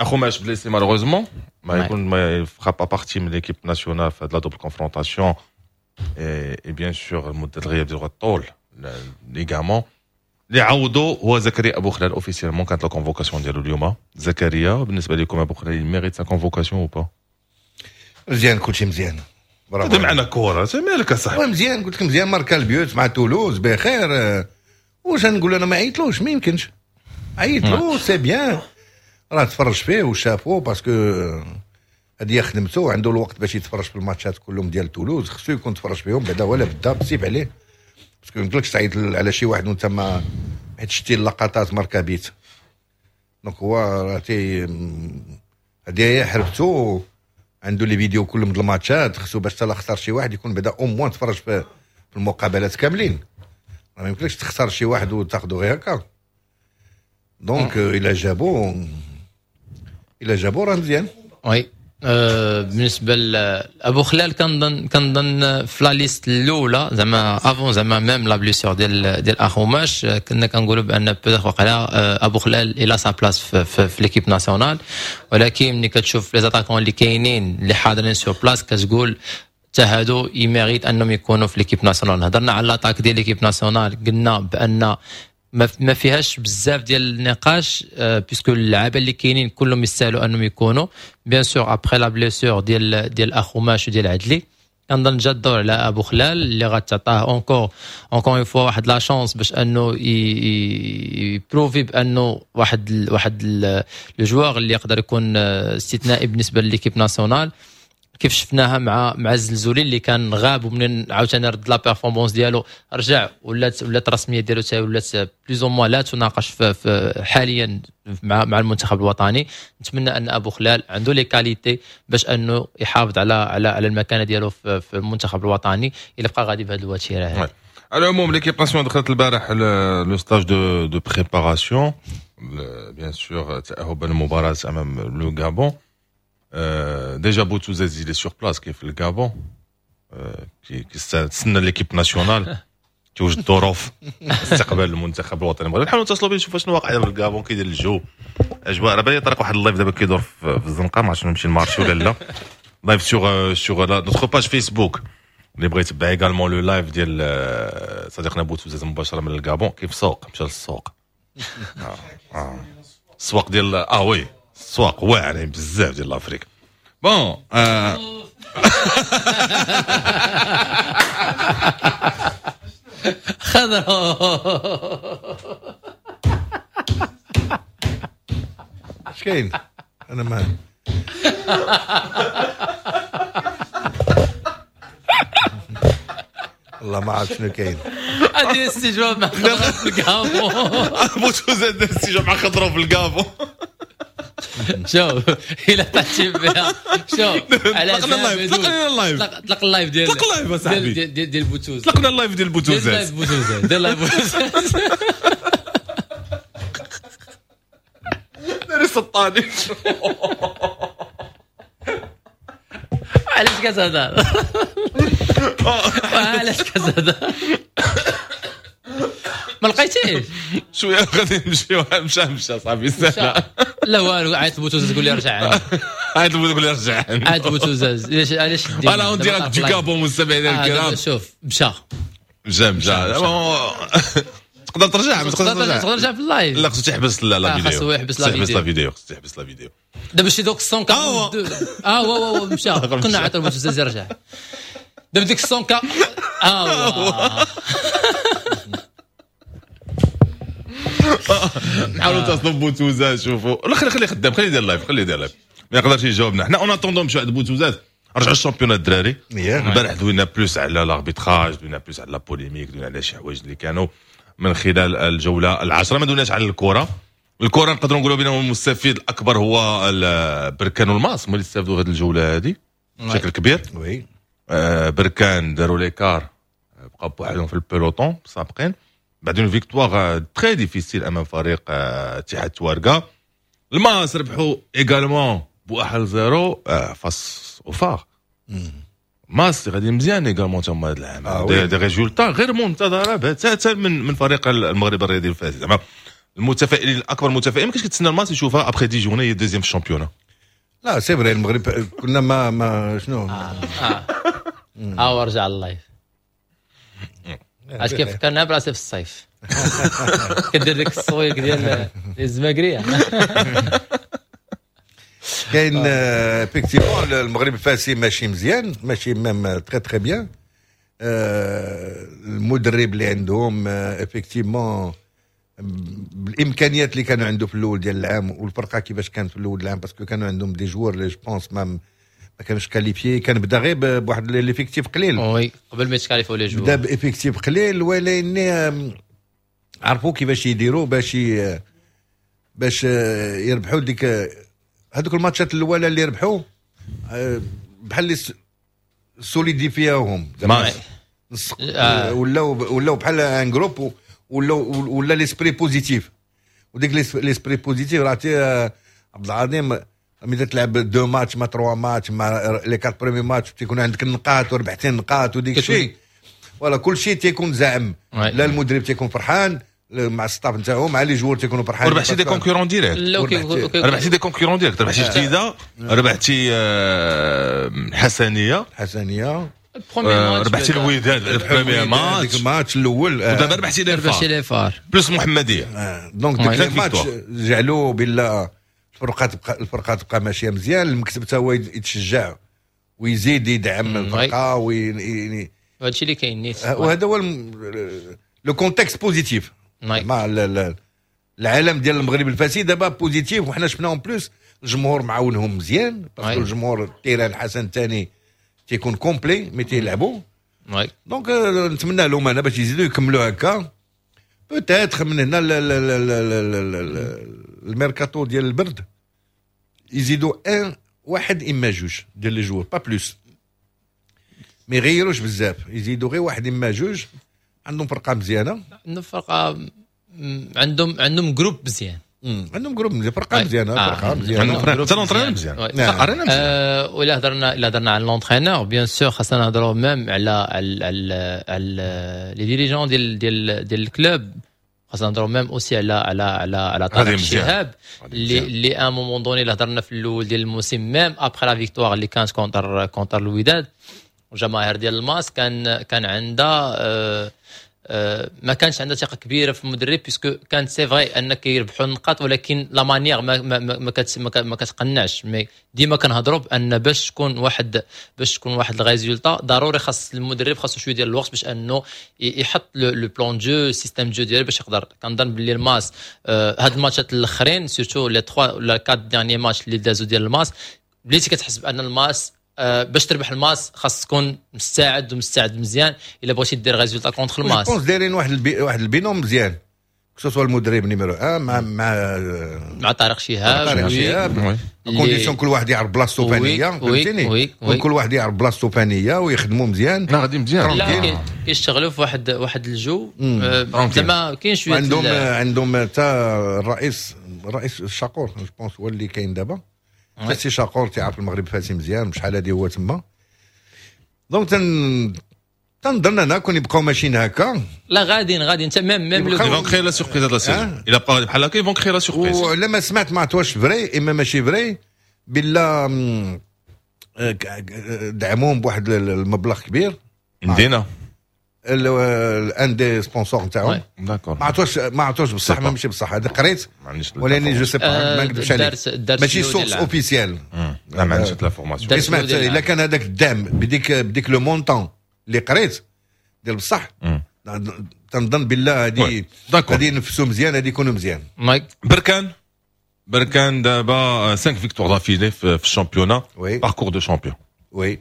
اخوماش blessé malheureusement ما يكون ما fera pas partie من l'équipe nationale في هاد la double confrontation et bien sûr مده الغياب ديال الطول ligament. اللي عوضوا هو زكريا ابو خلال. officiellement كانت la convocation ديالو اليوم. زكريا بالنسبة لكم ابو خلال mérite sa convocation ou pas؟ مزيان، كلشي مزيان. برافو. معنا كره مالك اصاحبي؟ مزيان، قلت لك مزيان، ماركا ال but مع تولوز بخير. واش نقول انا ما عيطلوش؟ ما يمكنش عيطلو، c'est bien، راه تفرج فيه وشافو، parce que هذه خدمته، عنده الوقت باش يتفرج في الماتشات كلهم ديال تولوز، خصو يكون تفرج فيهم بعدا ولا بدا بسيف عليه، parce que ما يمكنلكش تعيط على شي واحد وانت ما حيت شتي اللقطات ماركا but. donc هو راه تي هذه هي حربته، عنده les vidéos كلهم ديال الماتشات، خصو باش حتى اختار شي واحد يكون بعدا au moins تفرج في المقابلات كاملين. ما يمكنلكش تختار شي واحد وتاخذو غير هكا. donc الا جابو الا جابو راه مزيان. oui، أه بالنسبة لابو خلال كنظن كنظن في la liste الاولى زعما avant زعما même la blessure ديال ديال اخوماش، كنا كنقولوا بان peut-être وقيلا ابو خلال il a sa place في, في, في l'équipe nationale، ولكن ملي كتشوف les attaquants اللي كاينين اللي حاضرين sur place كتقول حتى هادو ils méritent انهم يكونوا في l'équipe nationale. هضرنا على l'attaque ديال l'équipe nationale، قلنا بان ما فيهاش بزاف ديال النقاش، puisque اللعابه اللي كاينين كلهم يستاهلوا انهم يكونوا. bien sûr après la blessure ديال ديال اخوماش وديال عدلي، كنظن جا الدور على ابو خلال اللي غتعطاه encore encore une fois واحد la chance باش انه ي prouver بانه واحد ال واحد le joueur اللي يقدر يكون استثنائي بالنسبة l'équipe nationale، كيف شفناها مع مع الزلزولي اللي كان غاب ومنين عاوتاني رد la performance ديالو رجع، ولات ولات الرسمية ديالو حتى ولات plus ou moins لا تناقش في, في حاليا مع مع المنتخب الوطني. نتمنى ان ابو خلال عنده les qualités باش انه يحافظ على على على المكانة ديالو في, في المنتخب الوطني الا بقى غادي بهذه الوتيره هذه. على العموم l'équipe nationale دخلت البارح le stage de de préparation، bien sûr تاهبا للمباراة امام le Gabon. déjà بوتوزاز il est sur place كيف الغابون، كيستنى l'équipe nationale توجد الظروف استقبال المنتخب الوطني المغربي. نحاولوا نتصلوا به نشوفوا شنو واقع في الغابون، كيدير الجو اجواء. راه بالي طريق واحد ال live دابا كيدور في الزنقة، ما عرفتش نمشي ال marché ولا لا. live sur sur notre page Facebook اللي بغى يتبع également le live ديال صديقنا بوتوزاز مباشرة من الغابون. كيف سوق مشى للسوق، اه اه السواق ديال اه oui السواق واعرين بزاف ديال l'Afrique. bon آه. خضرو اش كاين؟ انا ما والله ما عرفت شنو كاين. هذه استجواب مع خضرو في الكابو. بوتوزاد استجواب مع خضرو في الكابو. شوف الا طلعتي بها، شوف على طلقنا ال live، طلقنا ال live، طلق ال live ديال طلق ال live اصاحبي ديال ديال بوتوز، طلقنا ال live ديال بوتوزات، ديال بوتوزات، ديال live بوتوزات. داري سطاني. علاش كتهضر؟ علاش كتهضر؟ ما لقيتيش شوية غادي نمشيو. مشى مشى صافي سهلة. لا والو، عيط لبوتوزاز تقول لي رجع عندي. عيط لبوتوزاز تقول لي رجع عندي. عيط لبوتوزاز علاش علاش voilà en direct du Gabon مستمعينا الكرام. شوف مشى مشى مشى. تقدر ترجع، ما تقدر ترجع، تقدر ترجع في ال live. لا خصو تحبس la vidéo، خصو يحبس la vidéo، la vidéo خصو تحبس la vidéo. دابا شي دوك مية واثنين وأربعين. اه وا وا مشى، كنا عيط لبوتوزاز يرجع. دابا ديك مية اه نحاولوا نتصلوا ببوتوزاز شوفوا. لا خلي خلي خدام، خلي يدير live، خلي يدير live، ما يقدرش يجاوبنا. حنا en attendant نمشيو عند بوتوزاز. رجعوا ال championnat الدراري. البارح دوينا plus على l'arbitrage، دوينا plus على la polémique، دوينا على شي حوايج اللي كانوا من خلال الجولة العاشرة. ما دويناش على الكره. الكره نقدروا نقولوا بانه المستفيد الاكبر هو بركان والماس، هما اللي استافدوا هذه الجولة هذه بشكل كبير. oui بركان داروا l'écart، بقاو بوحدهم في ال peloton سابقين بعد une victoire très difficile امام فريق اتحاد تواركا. الماس ربحوا également بواحد zéro face au FAR. ماس غادي مزيان également تما هذا العام، آه des, des résultats غير منتظره بتاتا من من فريق المغرب الرياضي الفاسي. زعما المتفائلين الاكبر متفائلين ما كاينش كتسنى الماس يشوفها après dix journées هي deuxième في ال championnat. لا c'est vrai المغرب كنا ما ما شنو اه اه ورجع ال live. اش كيف فكرنا براسي في الصيف. كدير ديك الصويك ديال الزماكريه. كاين effectivement المغرب الفاسي ماشي مزيان، ماشي même très très bien. المدرب اللي عندهم effectivement بالامكانيات اللي كانوا عنده في الاول ديال العام والفرقة كيفاش كانت في الاول العام، parce que كانوا عندهم des joueurs اللي je pense même ما كانوش qualifiés، كان بدا غير بواحد l'effectif قليل. oui، قبل ما يتكاليفوا les joueurs. بدا ب effectif قليل، ولكن عرفوا كيفاش يديروا باش باش يربحوا ديك هذوك الماتشات الاولى اللي ربحوا، بحال اللي solidifiاوهم آه. ولاو ولاو بحال un groupe، ولاو ولا l'esprit positif، وديك l'esprit positif راه عبد العظيم ملي تلعب deux matchs ما trois matchs ما les quatre premiers matchs تيكون عندك النقاط وربحتي النقاط وديك الشيء، voilà كل شيء تيكون زعم، لا المدرب تيكون فرحان مع ال staff نتاعو، مع les joueurs تيكونوا فرحانين. وربحتي des concurrents directs، ربحتي des concurrents directs، ربحتي جديده، ربحتي حسنيه. حسنيه. ربحتي الوداد ال premier match. الماتش الاول. ودابا ربحتي les ربحتي les FAR plus محمديه. donc ديك الماتش جعلوا بالله الفرقة تبقى الفرقة تبقى ماشية مزيان، المكتب حتى هو يتشجع ويزيد يدعم الفرقة وي هادشي اللي كاين نيت. وهذا هو le contexte positif مع العالم ديال المغرب الفاسي دابا positif، وحنا شفنا en plus الجمهور معاونهم مزيان، parce que الجمهور ال terrain الحسن الثاني تيكون complet mais تيلعبوا. donc نتمنى لهم انا باش يزيدوا يكملوا هكا، peut-être من هنا الميركاتو ديال البرد يزيدوا un واحد اما جوج ديال les joueurs، pas plus، ما يغيروش بزاف، يزيدوا غير واحد اما جوج. عندهم فرقه مزيانه. عندهم فرقه، عندهم عندهم groupe مزيان. عندهم groupe مزيان، فرقه مزيانه. آه. فرقه مزيانه. حتى l'entraîneur مزيان. نعم. آه ولا هضرنا الا هضرنا على l'entraîneur، bien sûr خاصنا نهضروا même على على على, على les dirigeants ديال ديال ديال ال club، خاصنا نهضروا même aussi على على على على طارق الشهاب اللي اللي à un moment donné اللي هضرنا في الاول ديال الموسم، même après la victoire اللي كانت contre contre الوداد والجماهير ديال الماس كان كان عندها آه آه، ما كانش عندها ثقة كبيرة في المدرب، puisque كانت c'est vrai انك كيربحوا النقاط ولكن la manière ما ما ما, ما, ما كتقنعش. mais ديما كنهضروا بان باش تكون واحد باش تكون واحد ال résultat ضروري خاص المدرب خاصو شوية ديال الوقت باش انه يحط le plan de jeu، système de jeu ديالو باش يقدر. كنظن باللي الماس آه، هاد الماتشات الاخرين، surtout les ثلاثة ولا أربعة derniers matchs اللي دازو ديال الماس، بديتي كتحس بان الماس آه، باش تربح الماس خاص تكون مستعد ومستعد مزيان الا بغيتي دير résultat contre الماس. je pense دايرين واحد البي واحد ال binôme مزيان، que ce soit المدرب numéro واحد مع مع مع طارق شهاب. طارق شهاب، condition كل واحد يعرف بلاصتو فانيه، فهمتيني؟ كل واحد يعرف بلاصتو فانيه ويخدموا مزيان. لا، غادي مزيان. لا، كيشتغلوا في واحد واحد الجو آه، زعما كاين شويه. عندهم عندهم حتى الرئيس الرئيس الشاقور، je pense هو اللي كاين دابا، سي شاقور تيعرف المغرب فاسي مزيان، بشحال هادي هو تما، donc تن تنظن انا كون يبقاو ماشيين هكا. لا، غاديين غاديين انت même même ils vont créer la surprise هاد la saison، الا بقى بحال هكا ils vont créer la surprise. ولما سمعت، ما عرفت vrai اما ماشي vrai، بلا دعموهم بواحد المبلغ كبير. مدينة. un des sponsors نتاعهم. d'accord. ما عرفتوش ما عرفتوش بصح ما ماشي بصح، هذا قريت ولاني je sais pas، ما نكذبش عليك، ماشي source officielle. لا، ما عنديش l'information. سمعت الا كان هذاك الدعم بديك بديك le montant اللي قريت ديال بصح، تنظن بالله هذه غادي ينفسوا مزيان، غادي يكونوا مزيان. بركان بركان دابا خمسة victoires d'affilée في ال championnat، parcours de champion. oui.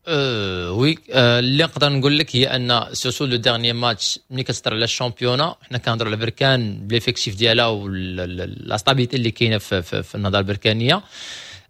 أه oui، أه اللي نقدر نقول لك هي ان surtout le dernier match، ملي كتهضر على ال championnat حنا كنهضروا على بركان ب l'effectif ديالها و la stabilité اللي كاينه في, في, في النهضة البركانيه.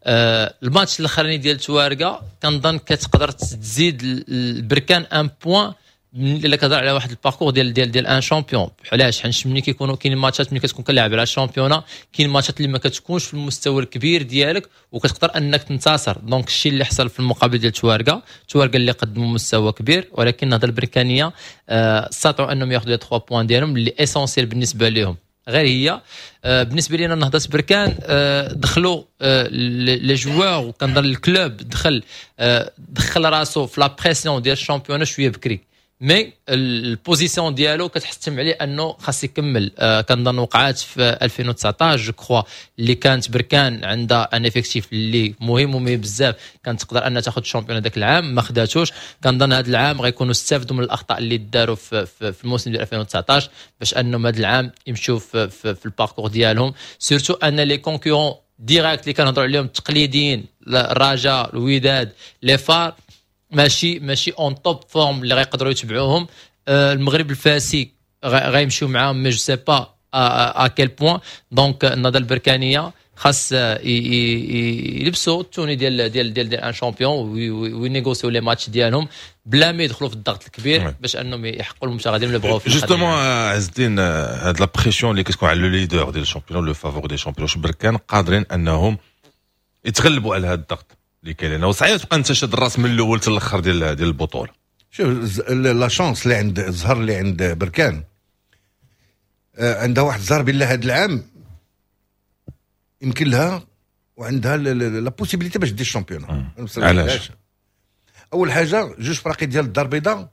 أه الماتش الاخراني ديال توارقه كنظن كتقدر تزيد البركان un point الا كتهضر على واحد ال parcours ديال ديال ديال un champion. علاش؟ حيت ملي كيكونوا كاين ماتشات، ملي كتكون كنلعب على ال championnat، كاين ماتشات اللي ما كتكونش في المستوى الكبير ديالك وكتقدر انك تنتصر. donc الشيء اللي حصل في المقابلة ديال توارقه، توارقه اللي قدموا مستوى كبير، ولكن النهضة البركانيه آه، استطاعوا انهم ياخذوا les ثلاثة points ديالهم اللي essentiels بالنسبة لهم. غير هي آه، بالنسبة لنا نهضة بركان آه، دخلوا les joueurs، وكنظن ال club دخل دخل راسو في la pression ديال ال championnat شوية بكري. mais ال position ديالو كتحتم عليه انه خاص يكمل. آه كنظن وقعات في ألفين وتسعطاش je crois اللي كانت بركان عندها un effectif اللي مهم ومهم بزاف، كانت تقدر انها تاخذ ال championnat ذاك العام ما خداتوش. كنظن هذا العام غيكونوا استافدوا من الاخطاء اللي داروا في, في, في الموسم ديال ألفين وتسعطاش باش انهم هذا العام يمشوا في, في, في ال parcours ديالهم، surtout ان les concurrents directs اللي كنهضروا عليهم التقليديين، الرجاء، الوداد، les FAR، ماشي ماشي en top forme اللي غيقدروا يتبعوهم. آه، المغرب الفاسي غيمشيو معاهم mais je sais pas à quel point. donc النهضة البركانيه خاص يلبسوا ال tenue ديال ديال ديال ديال un champion وينيغوسيو les matchs ديالهم بلا ما يدخلوا في الضغط الكبير باش انهم يحققوا المبتغى ديالهم اللي بغاو. justement عز الدين، هاد la pression اللي كتكون على le leader ديال ال championnat، le favori des champions، بركان قادرين انهم يتغلبوا على هذا الضغط اللي كاين؟ لانه صعيب تبقى انت شاد الراس من الاول حتى الاخر ديال ديال البطوله. شوف، la chance اللي عند الزهر اللي عند بركان، آه، عندها واحد الزهر بالله هذا العام يمكن لها وعندها la possibilité باش دير ال championnat. علاش؟ اول حاجه، جوج فراقي ديال الدار البيضاء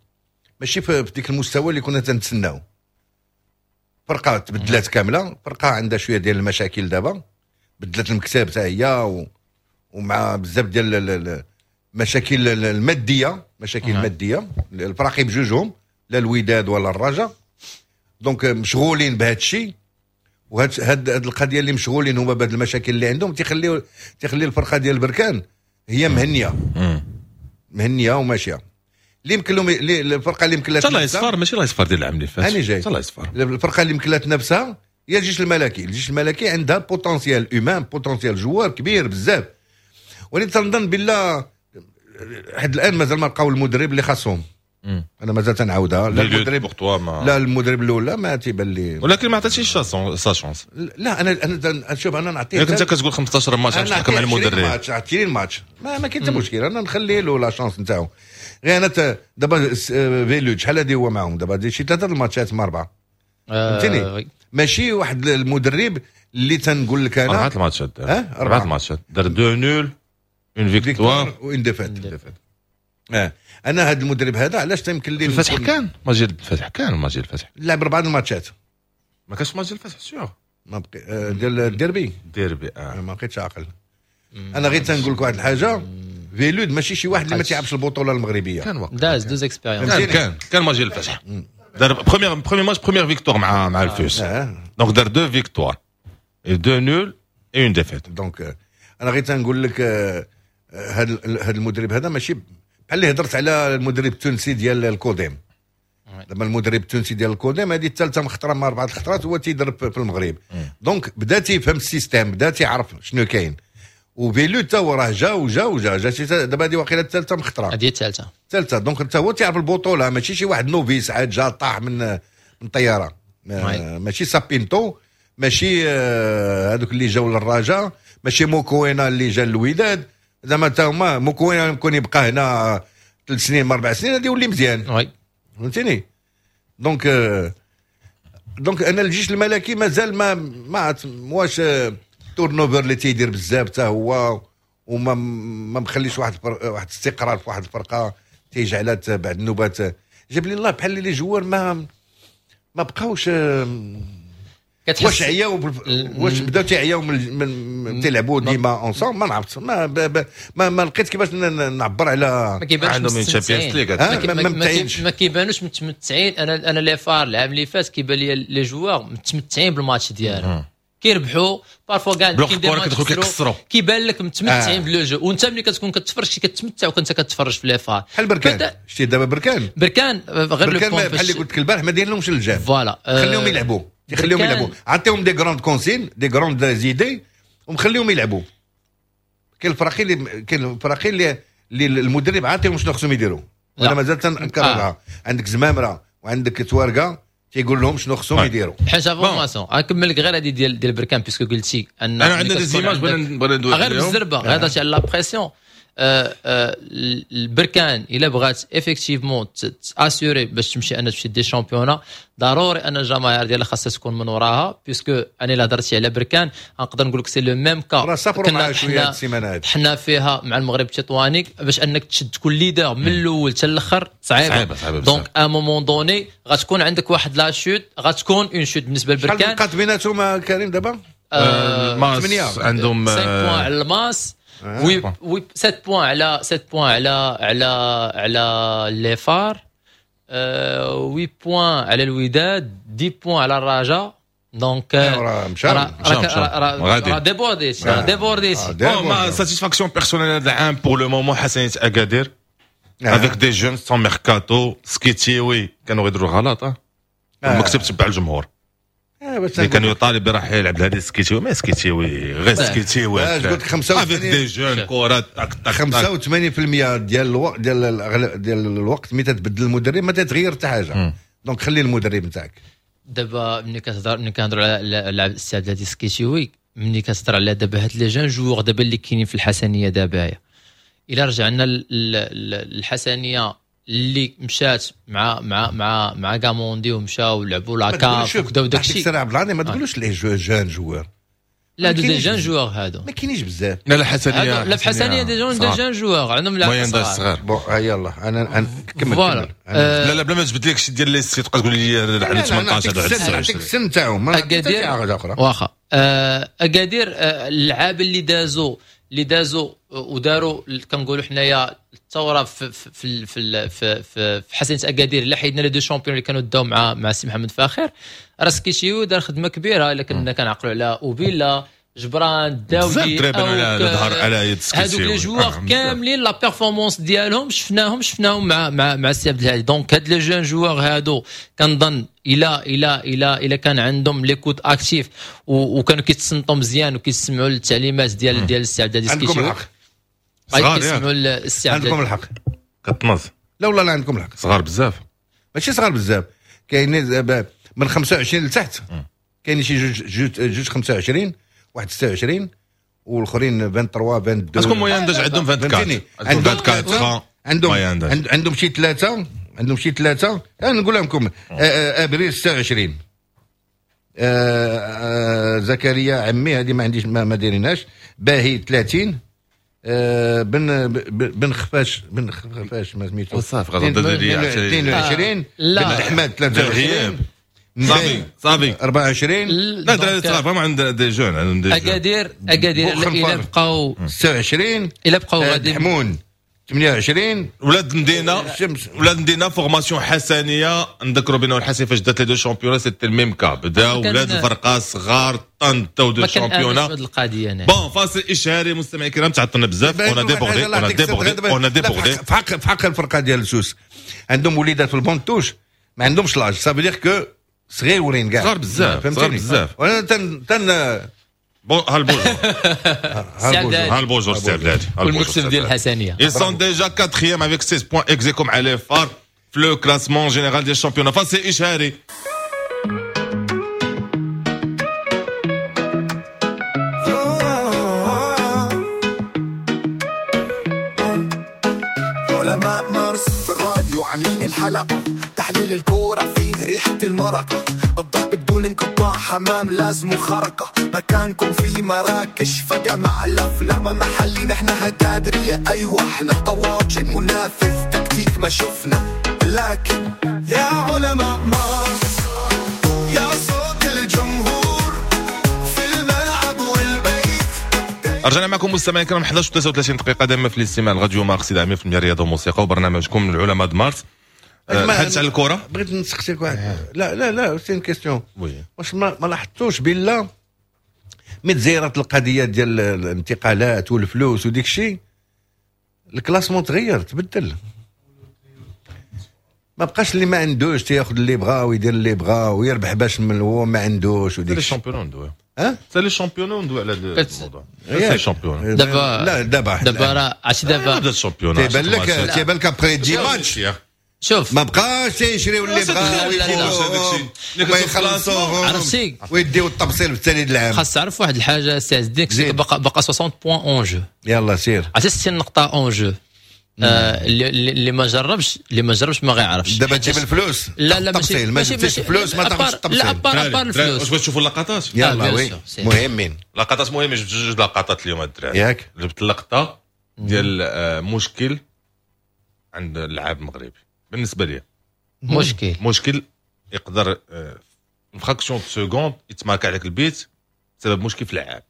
ماشي في ديك المستوى اللي كنا تنتسناو. فرقه تبدلات كامله، فرقه عندها شوية ديال المشاكل دابا، بدلت المكتب حتى هي و... ومع بزاف ديال المشاكل الماديه، مشاكل مادية الفراقي بجوجهم، لا الوداد ولا الرجاء. donc مشغولين بهذا الشيء، وهاد هاد القضية اللي مشغولين هما بهاد المشاكل اللي عندهم تيخلي تيخلي الفرقة ديال البركان هي مهنيه مهنية وماشيه. اللي يمكن لهم، الفرقة اللي يمكن لها الله يصفر، ماشي الله يصفر ديال العام اللي فات. هاني جاي. الله يصفر. الفرقة اللي يمكن لها تنافسها هي الجيش الملكي. الجيش الملكي عندها potentiel humain، potentiel joueurs كبير بزاف، ولكن تنظن بالله حد الان مازال ما لقاو المدرب اللي خاصهم. انا مازال تنعاودها، لا المدرب ما لا المدرب الاول ما تيبان لي. ولكن ما عطيتيش sa chance. لا، انا انا شوف، انا نعطيه. انت كتقول خمسطاش ماتش باش تحكم على المدرب. ماتش، عشرين ماتش، ما, ما كاين حتى مشكل، انا نخلي له la chance نتاعو. غير انا دابا فيلود شحال هادي هو معاهم، دابا شي ثلاثة الماتشات ما اربعه، فهمتيني؟ ماشي واحد المدرب اللي تنقول لك انا. اربعة الماتشات، اربعة الماتشات، دار deux nuls، une victoire و une défaite. اه انا هذا المدرب هذا علاش تيمكن لي الفتح كان ماجي، الفتح كان ماجي الفتح. لعب اربعة الماتشات. ما كانش ماجي الفتح sûr. ما بقي آه، ديال الديربي. الديربي اه. ما بقيتش عاقل. انا غير تنقول لك واحد الحاجه، فيلود ماشي شي واحد اللي ما تيعرفش البطولة المغربيه. كان وقت داز deux expériences. كان كان كان ماجي الفتح، دار premier premier match، première victoire مع مع الفوس. آه. donc دار deux victoires، deux nuls et une défaite. donc انا غير تنقول لك هذا هذا المدرب هذا ماشي بحال اللي هضرت على المدرب التونسي ديال الكوديم. لما المدرب التونسي ديال الكوديم هذه الثالثة مخطره ما اربعة الخطرات هو تيدرب في المغرب، donc بدا تيفهم ال système، بدا تيعرف شنو كاين. وفيلو تا هو راه جا وجا وجا جا، دابا هذه واقيلا الثالثة مخطره. هذه الثالثه. الثالثه، donc حتى هو تيعرف البطوله، ماشي شي واحد novice عاد جا طاح من من طياره. ماشي سابينتو، ماشي آه، هذوك اللي جاو للرجاء، ماشي موكوينا اللي جا للوداد. زعما تا هما موكوينا يمكن يبقى هنا ثلاث سنين اربع سنين غادي يولي مزيان. oui فهمتيني؟ donc آه، donc انا الجيش الملكي مازال ما ما واش turnover اللي تيدير بزاف حتى هو وما ما مخليش واحد واحد الاستقرار في واحد الفرقه، تيجعلها بعد النوبات جاب لي الله بحال les joueurs ما ما بقاوش. واش عياو، واش بداو تيعياو من, من تيلعبوا ديما ensemble، ما نعرفت، ما, ما, ما لقيت كيفاش نعبر على. ما كيبانوش عندهم Champions League. ما, ما كيبانوش متمتعين. انا انا les FAR العام اللي فات كيبان لي les joueurs متمتعين بالماتش ديالهم، كيربحوا parfois كاع. كيدخلوا كيكسروا. كيبان لك متمتعين آه. ب le jeu، وانت ملي كتكون كتفرج كتمتع وكنت كتفرج في les FAR. بحال بركان، شتي دابا بركان. بركان غير بركان بحال اللي قلت لك البارح، ما داير لهمش اللجام. voilà. خليهم يلعبوا، خليهم يلعبوا، عطيهم des grandes consignes، des grandes idées، ومخليهم يلعبوا. كاين الفراقي اللي كاين الفراقي اللي اللي المدرب عاطيهم شنو خصهم يديروا. وانا مازال تنكررها آه. عندك زمامرة وعندك توارقه تيقول لهم شنو خصهم يديروا. حاجة formation، غنكمل لك غير هذه ديال ديال بركان، puisque قلتي ان انا عندنا des images بغينا بغينا ندوي غير بالزربه، غير هضرتي على la pression. آه آه البركان الا بغات effectivement t'assurer باش تمشي انا تمشي des championnats، ضروري ان الجماهير ديالها خاصها تكون من وراها، puisque انا الا هضرتي على بركان نقدر نقول لك c'est le même cas كنا حنا حنا فيها مع المغرب التطواني، باش انك تشد تكون leader من الاول حتى الاخر صعيبة. donc à un moment donné غتكون عندك واحد la chute، غتكون une chute بالنسبة للبركان. شحال بقات بيناتهم كريم دابا؟ ثمانية عندهم خمسة points على الماس، oui oui سبعة points على سبعة points على على على les FAR، ثمانية points على الوداد، عشرة points على الرجاء. donc راه مشى راه débordé راه débordé. bon ma satisfaction personnelle هذا العام pour le moment حسنية اكادير avec des jeunes sans mercato. سكيتيوي كانوا غيديروا غلط، المكتب تبع الجمهور اللي كان يطالب برحيل عبد الهادي سكيتيوي، ما سكيتيوي غير سكيتيوي. قلت خمسة وثمانين des jeunes كرات تاك تاك خمسة وثمانين بالمية ديال الوقت ديال ديال الوقت ملي تتبدل المدرب ما تتغير حتى حاجة. donc خلي المدرب نتاعك. دابا ملي كتهضر ملي كنهضروا على السي عبد الهادي سكيتيوي، ملي كتهضر على دابا هاد les jeunes joueurs دابا اللي كاينين في الحسنيه دابا، الا رجعنا للحسنيه اللي مشات مع مع مع مع كاموندي ومشاو لعبوا la CAF وكذا وداك الشيء. سير عبد العظيم ما تقولوش les jeunes joueurs، لا des jeunes joueurs هادو ما كاينينش بزاف. لا لا حسنيه لا في حسنيه des jeunes des jeunes joueurs عندهم لاعب صغير. bon يلاه انا كمل كمل. لا لا بلا ما تجبد لك شي ديال les sites تبقى تقول لي على ثمنطاش هذا على تسعة وعشرين السن تاعهم. اكادير واخا اكادير اللعابه اللي دازوا اللي دازوا وداروا كنقولوا حنايا الثورة في في في في, في, في حسنيه اكادير، الا حيدنا les deux champions اللي كانوا داو مع مع السي محمد فاخر، راه سكيتيو دار خدمة كبيرة. الا كنا كنعقلوا على اوبيلا جبران داودي على ظهر على يد سكيتيو، هذوك les joueurs كاملين la performance ديالهم شفناهم شفناهم مع مع مع السي عبد الهادي. donc هاد les jeunes joueurs هادو كنظن الى الى الى الى كان عندهم l'écoute active وكانوا كيتصنتوا مزيان وكيسمعوا للتعليمات ديال ديال السي عبد الهادي سكيتيو. عندكم الحق، كيسمعوا السي عبد عندكم الحق كطنز. لا والله لا عندكم الحق، صغار بزاف، ماشي صغار بزاف، كاينين من خمسة وعشرين لتحت، كاين شي جوج جوج جوج خمسة وعشرين، واحد ستة وعشرين، والاخرين ثلاثة وعشرين اثنين وعشرين. est-ce que moyenne d'âge عندهم أربعة وعشرين، عندهم عندهم عندهم شي ثلاثة، عندهم شي ثلاثة. انا نقول لكم ابريل ستة وعشرين، زكريا عمي هذه ما عنديش ما دايرينهاش، باهي ثلاثين، بن بن خفاش بن خفاش ما سميتو صافي غادي اثنين وعشرين، بن احمد ثلاثة وعشرين، صافي صافي أربعة وعشرين. لا دراري صغار فهم عند des jeunes، عندهم des jeunes. اكادير اكادير الى بقاو ستة وعشرين، الى بقاو غادي حمون ثمانية وعشرين. ولاد المدينة ولاد المدينة formation حسنيه، نذكروا بانه الحسن فاش دات les deux championnats c'était ال même cas، بداو ولاد الفرقة صغار طنطاو deux championnats. bon فاصل اشهاري مستمعي الكرام، تعطلنا بزاف، on a débordé on a débordé on a débordé. في حق في حق الفرقة ديال سوس عندهم وليدات في ال banc de touche ما عندهمش l'âge، ça veut dire que صغيورين كاع، صغار بزاف صغار بزاف. وانا تن تن bon هالبوجور هالبوجور سي عبد والمكتب ديال الحسنيه. Ils sont déjà quatrième avec seize points ex aequo مع les FAR في le classement général ديال ال championnat. فاصل اشهاري. علماء مارس في الراديو عاملين الحلقة، تحليل الكورة فيه ريحة المرق، الضرب بدون انقطاع، حمام لازم خرقة، مكانكم في مراكش فجأة مع الأفلام محلي، نحن هتادرية أيوة احنا طواجن منافس تكتيك ما شفنا، لكن يا علماء مارس يا صوت الجمهور في الملعب والبيت. رجعنا معكم مستمعين الكرام إحدى عشر وثلاثة وثلاثين دقيقة دائما في الاستماع لراديو مارس إذاعة مية بالمية رياضة وموسيقى وبرنامجكم العلماء د مارس. الحديث على الكره، بغيت نسقسيك واحد. لا لا لا c'est une question. واش ما, ما لاحظتوش بلا ملي تزيرات القضية ديال الانتقالات والفلوس وديك الشيء، ال classement تغير تبدل، ما بقاش اللي ما عندوش تياخذ اللي بغا ويدير اللي بغا ويربح باش من هو ما عندوش وديك les championnats ندوي. ها c'est les championnats ندوي على الموضوع les championnats دابا. لا دابا دابا راه عرفتي دابا بدا ال championnat تيبان لك تيبان لك après dix matchs شوف ما بقاش تيشريو اللي بغاو وما يخلصوهم، عرفتي، ويديو التبصيل في الثاني العام. خاص تعرف واحد الحاجة سي عز الدين، بقى بقى ستين points en jeu. يلا سير. عرفتي ستين نقطة en jeu. آه اللي, اللي ما جربش، اللي ما جربش ما غيعرفش. دابا تجيب الفلوس. لا لا، ماشي ما جبتيش الفلوس ما تاخذش التبصيل. لا، à part à part الفلوس. واش بغيت تشوفوا اللقطات؟ يلا oui، مهمين. لقطات مهمه، جبت جوج لقطات اليوم الدراري. ياك؟ جبت اللقطة ديال مشكل عند اللاعب المغربي بالنسبة لي. مشكل مشكل يقدر fraction de seconde يتمارك عليك البيت بسبب مشكل في اللعاب.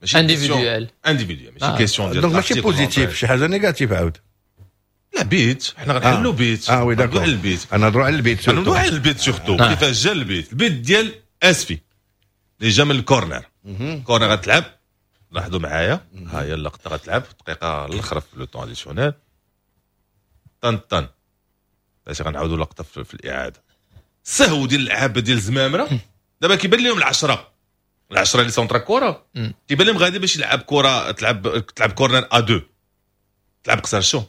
ماشي individuel. individuel، ماشي question ديال donc ماشي positif، شي حاجة négative عاود. لا، بيت حنا غنحلوا بيت. اه oui d'accord. على البيت. انا نهضروا على البيت. نهضروا على البيت surtout كيفاش جا البيت. البيت ديال اسفي اللي جا من ال corner. corner غتلعب، لاحظوا معايا، ها هي اللقطة غتلعب في الدقيقة الاخرى في le temps additionnel. طن طن باش غنعاودوا لقطة في, في الاعاده. السهو ديال اللعابه ديال الزمامره دابا كيبان لهم العشره، العشرة اللي centra كره، كيبان لهم غادي باش يلعب كره، تلعب تلعب corner à deux، تلعب قصر. شو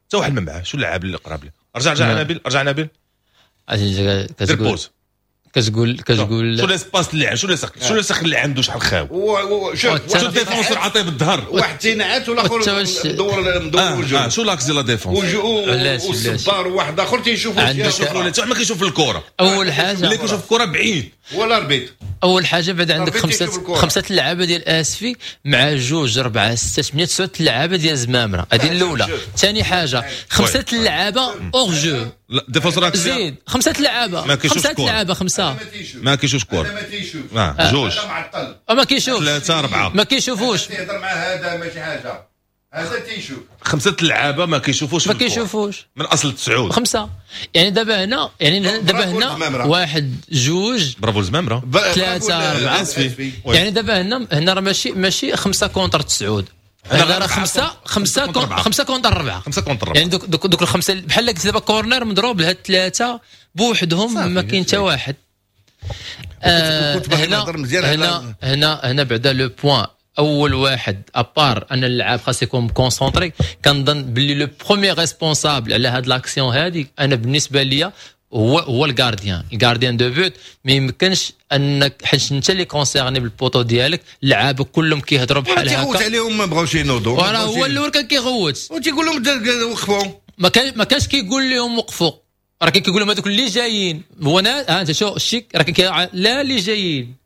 حتى واحد ما معاه، شو اللاعب اللي قراب له؟ رجع رجع نبيل، رجع نبيل. كتقول pause. كتقول كتقول شو l'espace اللي شو l'espace شو l'espace اللي عنده شحال خاوي. شوف. شو ال défenseur عطية بالظهر. واحد تينعت والاخر مدور مدور آه وجهه. آه شو l'axe ديال la défense. والصبار وواحد اخر تيشوف. عندك ولا ما كيشوف الكره. اول حاجة اللي كيشوف الكره بعيد. ولا l'arbitre. اول حاجة بعد عندك خمسة خمسة اللعابه ديال اسفي مع جوج اربعة ستة ثمانية تسعة اللعابه ديال زمامره، هذه الاولى. ثاني حاجة خمسة اللعابه hors jeu. لا défenseur. زيد خمسة اللعابه، خمسة اللعابه، خمسه. ما كيشوفش كره. ما تيشوف. آه. جوج. ما كيشوف. ثلاثه، اربعه. ما كيشوفوش. تيهضر مع هذا ماشي حاجه، هذا تيشوف. خمسة اللعابه ما كيشوفوش. ما كيشوفوش. من اصل تسعود. خمسه، يعني دابا هنا، يعني دابا هنا واحد جوج. برافو الزمامره. ثلاثة اربعه، يعني دابا هنا هنا راه ماشي ماشي خمسة contre تسعود، هنا راه خمسة خمسة خمسة contre اربعه. خمسة contre اربعه. يعني دوك دوك, دوك الخمسة بحال قلت دابا corner مضروب لهاد الثلاثة بوحدهم، ما كاين حتى واحد. آه هنا هنا هنا هنا بعدا le point اول واحد، à part ان اللاعب خاص يكون concentré، كنظن باللي le premier responsable على هاد l'action هادي انا بالنسبة ليا هو هو ال gardien، ال gardien de but. ما يمكنش انك حيت انت اللي concerné بال poteau ديالك، اللعابه كلهم كيهضروا بحال هكا. تيغوت عليهم، ما بغاوش ينوضوا. وراه هو الاول كان كيغوت. وتيقول لهم وقفوا. ما كان ما كانش كيقول لهم وقفوا، راه كان كيقول لهم هذوك اللي جايين. هو ها انت شو الشيك راه كان لا اللي جايين.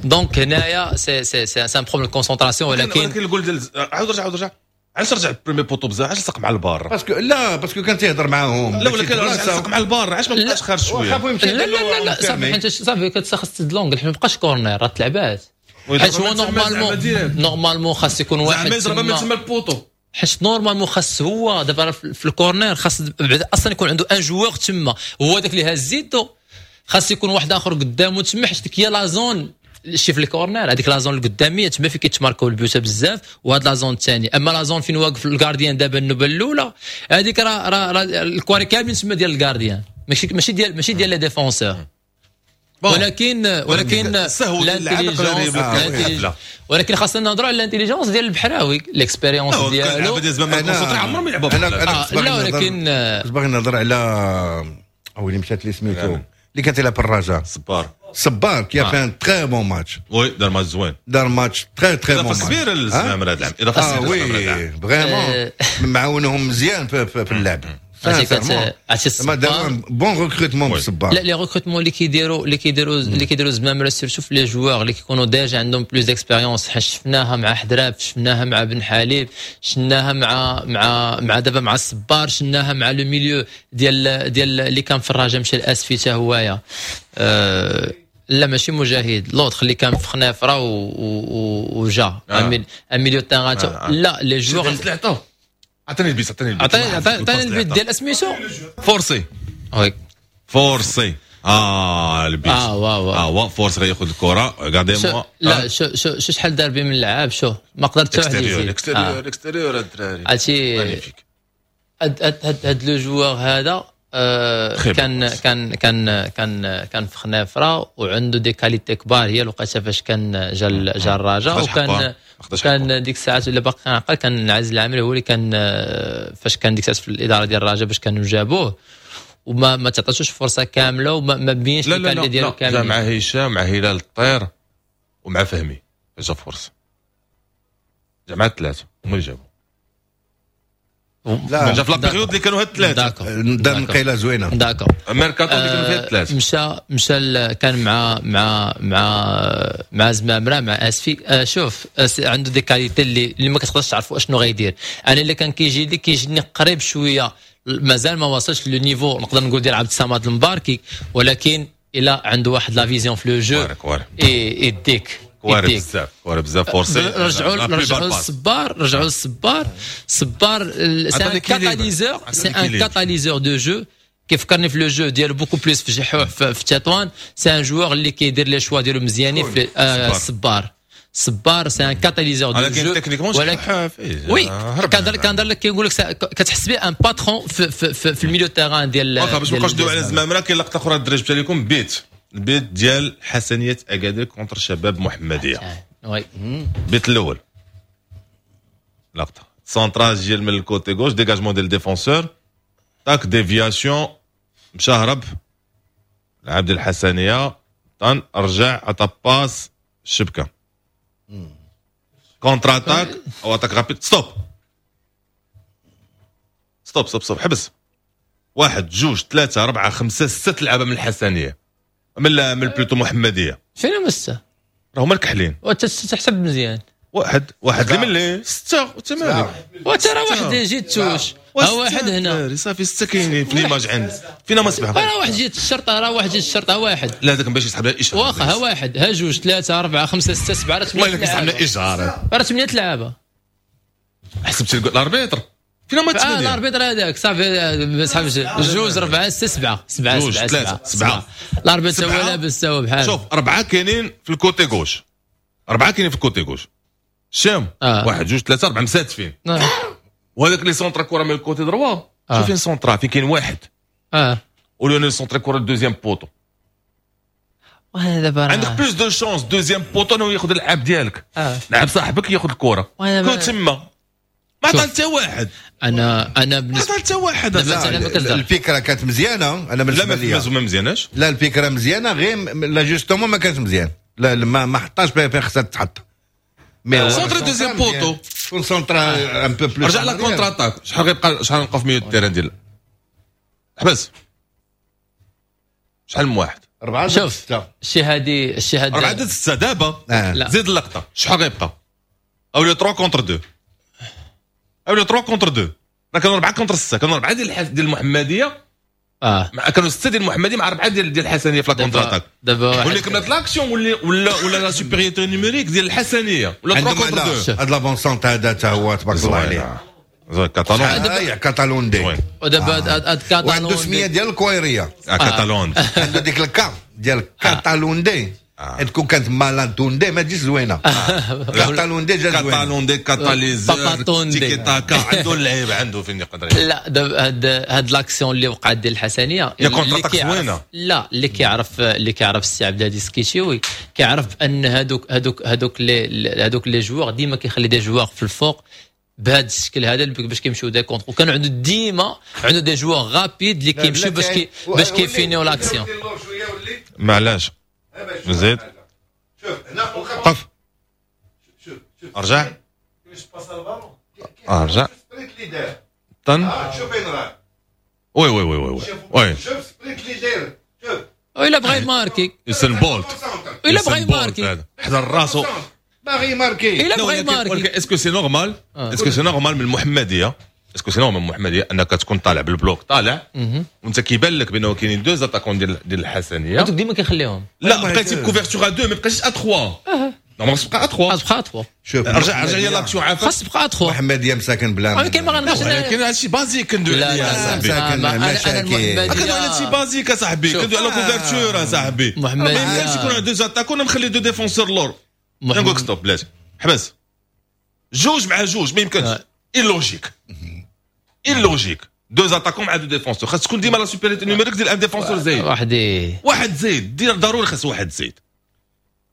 donc هنايا c'est c'est c'est c'est un problème concentration، ولكن ولكن الجول ديال عاود رجع، عاود رجع. علاش رجع premier poteau بزاف؟ علاش لصق مع ال barre؟ parce que لا، parce que كان تيهضر معاهم. لا ولكن علاش لصق مع ال barre؟ علاش ما بقاش خارج شويه؟ لا لا لا لا، صافي انت صافي كتخص تسد l'angle، ما بقاش corner، راه تلعبات. حيت هو normalement normalement خاص يكون واحد زعما يضرب من تما ال poteau. حيت normalement خاص هو دابا في ال corner خاص اصلا يكون عنده un joueur تما، هو داك اللي هاز يدو، خاص يكون واحد اخر قدامه تما، حيت ديك هي la zone شي في ال corner، هذيك la zone القداميه تما فين كيتماركاو البيوت بزاف، وهاد la zone الثاني. اما la zone فين واقف ال gardien دابا النوبة الاولى هذيك راه راه الكواري كاملين تما ديال ال gardien، ماشي ماشي ديال ماشي ديال les défenseurs. ولكن ولكن l'intelligence، ولكن خاصنا نهضروا على l'intelligence ديال البحراوي، l'expérience ديالو. عمرهم يلعبوا. انا انا لا ولكن كنت باغي نهضر على او اللي مشات لي سميتو اللي كانت يلعب الرجاء. صبار. صبار qui a fait un très bon match. oui، دار ماتش زوين. دار match très très bon. اضافه كبيرة للزمامره هذا العام، اضافه آه oui، vraiment معاونهم مزيان في, في, في اللعب. عرفتي ما داروا bon recrutement بالصبار. لا، les recrutements اللي كيديروا اللي كيديروا اللي كيديروا زمامرة surtout في les joueurs اللي كيكونوا déjà عندهم plus d'expérience، شفناها مع حدراف، شفناها مع بن حليب، شفناها مع مع مع دابا مع الصبار، شفناها مع le milieu ديال ديال اللي كان في الرجاء مشى الاسفي حتى هوايا. أه لا ماشي مجاهد، l'autre اللي كان في خنافره وجا آه. un milieu terrain. آه. لا les joueurs عطيني البيت، عطيني البيت. عطيني عطيني البيت ديال اسميتو. forcé. oui. forcé، اه البيت. اه واو. اه وا forcé غياخذ الكره، regardez-moi. لا شو شو شو شحال دار بيه من اللعاب، شو ما قدرت حتى واحد يزيد. extérieur، extérieur الدراري. عرفتي هاد هاد هاد le joueur هذا. آه كان كان كان كان كان في خنافره وعنده des qualités كبار، هي الوقيته فاش كان جا جا الرجاء، وكان كان ديك الساعات ولا باقي كنعقل كان عزيز العامري هو اللي كان فاش كان ديك الساعات في الادارة ديال الرجاء باش كانوا جابوه، وما ما تعطاتوش فرصة كاملة وما ما بينش ال qualité ديالو كاملة. لا مع هشام، مع هلال الطير، ومع فهمي جا فرصة، جا مع الثلاثة هما اللي جابوا. لا جا في la période اللي كانوا هاد الثلاثة، دار نقيله زوينة d'accord ميركاتو اللي كانوا فيها الثلاثة. مشى مشى كان مع مع مع مع زمامرة مع اسفي. آه شوف عنده des qualités اللي اللي ما كتقدرش تعرفوا اشنو غيدير. انا اللي كان كيجي لي كيجيني قريب شوية، مازال ما وصلش le niveau نقدر نقول ديال عبد الصمد المباركي، ولكن الا عنده واحد la vision في le jeu يديك كواري بزاف، كواري بزاف forcé. رجعوا رجعوا للصبار، رجعوا للصبار. الصبار c'est un catalyseur، c'est un catalyseur de jeu. كيفكرني في le jeu ديالو beaucoup plus في جحوح في تطوان. c'est un joueur اللي كيدير les choix ديالو مزيانين في الصبار. الصبار c'est un catalyseur de jeu، ولكن oui كنهضر كنهضر لك كيقول لك كتحس به un patron في في في, في ال milieu terrain ديال. واخا باش ما نبقاوش ندويو على زمامرة، كاين لقطة اخرى الدراري جبتها لكم، بيت البيت ديال حسنيه اكادير contre شباب محمديه. oui البيت الاول لقطة centrage ديال من ال côté gauche، dégagement ديال défenseur، tac déviation، مشى هرب لعب ديال الحسنيه، طن رجع عطى passe الشبكة، contre-attaque او attaque rapide. stop stop stop stop، حبس. واحد جوج ثلاثة أربعة خمسة ستة لعابة من الحسنية، من من plutôt محمدية. فين هما ستة؟ راه هما الكحلين. تحسب مزيان. واحد واحد اللي من لي ستة وثمانية. وترى واحد جيت touche، ها واحد هنا صافي ستة كاينين في l'image عند فينا ما سبعة. راه واحد جيت الشرطة، راه واحد جيت الشرطة واحد. لا هذاك باش يسحب لها إشهار. واخا ها واحد، ها جوج، ثلاثة، أربعة، خمسة، ستة، سبعة، راه ثمانية. والله كيسحب لنا إشهار. راه ثمانية لعابة. حسبت ال arbitre فينا ما ثمانية. اه ال arbitre هذاك صافي سحب جوج أربعة ستة سبعة سبعة سبعة ثلاثة سبعة. ال arbitre هو لابس هو بحال. شوف أربعة كاينين في ال côté gauche، أربعة كاينين في ال côté gauche. شام آه. واحد جوج ثلاثة أربعة مساتفين. آه. وهذاك اللي centra كرة من ال côté droit، آه. شوف فين centra، فين كاين واحد. اه ولو centra كرة ال deuxième poteau. وهذا دابا عندك plus de chances deuxième poteau انه ياخذ اللعاب ديالك. آه. لعب صاحبك ياخذ الكرة. كون تما ما عطى حتى واحد. انا انا بالنسبة ما عطى حتى واحد. الفكرة كانت مزيانه انا بالنسبة لي. لا ما مزياناش. لا الفكرة مزيانه، غير l'ajustement ما كانش مزيان. لا ما ما حطاش فين خصها تحط. centrer deuxième poteau كون centra un peu plus. رجع la contre-attaque. شحال غيبقى، شحال نبقاو في milieu terrain ديال حبس شحال من واحد؟ أربعة. شوف شي هادي شي هادي أربعة ضد ستة دابا. آه. زيد اللقطة شحال غيبقى؟ أولي ثلاثة contre اثنين، أولي ثلاثة contre اثنين. راه كانوا أربعة contre ستة، كانوا أربعة ديال ديال المحمدية. اه مع كانوا ستة ديال المحمدية مع أربعة ديال ديال الحسنية في la contre-attaque. دابا واللي كملت l'action ولا ولا ولا la supériorité numérique ديال الحسنية ولا ثلاثة contre اثنين. هاد l'avant-centre هذا حتى هو تبارك الله عليه. زوين كاتالون. اه كاتالون دي. ودابا هاد كاتالون وعنده سميه ديال الكويريه. كاتالون عنده ديك الكا ديال كاتالون دي. تكون كانت مالانتوندي ما تجيش زوينة. كاتالوندي جا زوينة. كاتالوندي catalyseur تيكي تاكا عنده اللعيب، عنده فين يقدر. لا دابا هاد هاد l'action اللي وقعت ديال الحسنيه يا contre-attaque زوينة. لا اللي كيعرف اللي كيعرف السي عبد الهادي السكيتيوي كيعرف ان هادوك هادوك هادوك les هادوك les joueurs ديما كيخلي des joueurs في الفوق بهذا الشكل هذا باش كيمشيو des contres، وكانوا عنده ديما عنده des joueurs rapides اللي كيمشيو باش كي باش كيفينيو l'action. معلاش زيد شوف هنا وقف ارجع ارجع طن شوف فين راه. oui oui oui oui oui شوف sprint اللي داير. شوف الا بغى يماركي يوسين بولت، الا بغى يماركي حضر راسو باغي يماركي. الا بغى يماركي est-ce que c'est normal، est-ce que c'est normal من المحمدية، est-ce que c'est normal من المحمدية انك تكون طالع بال bloc طالع وانت كيبان لك بانه كاينين deux attaquants ديال ديال الحسنيه هذوك ديما كيخليهم. لا بقيتي ب couverture à deux ما بقيتيش à ثلاثة. normalement تبقى à ثلاثة. تبقى à ثلاثة. شوف رجع رجع لي l'action عافاك. خاص تبقى à ثلاثة. محمديه مساكن بلا ولكن ما غنبقاش. ولكن هادشي basique كندوي عليه يا صاحبي. مساكن مشاكل. كندوي على هادشي basique اصاحبي، كندوي على couverture اصاحبي. ما يمكنش يكون deux attaquants نخلي deux défenseurs لور. نقول لك stop بلاتي حبس جوج مع جوج ما يمكنش. illogique illogique. deux attaquants مع deux défenseurs، خاص تكون ديما la supériorité numérique ديال un défenseur زايد. واحد واحد زايد دير ضروري، خاص واحد زايد.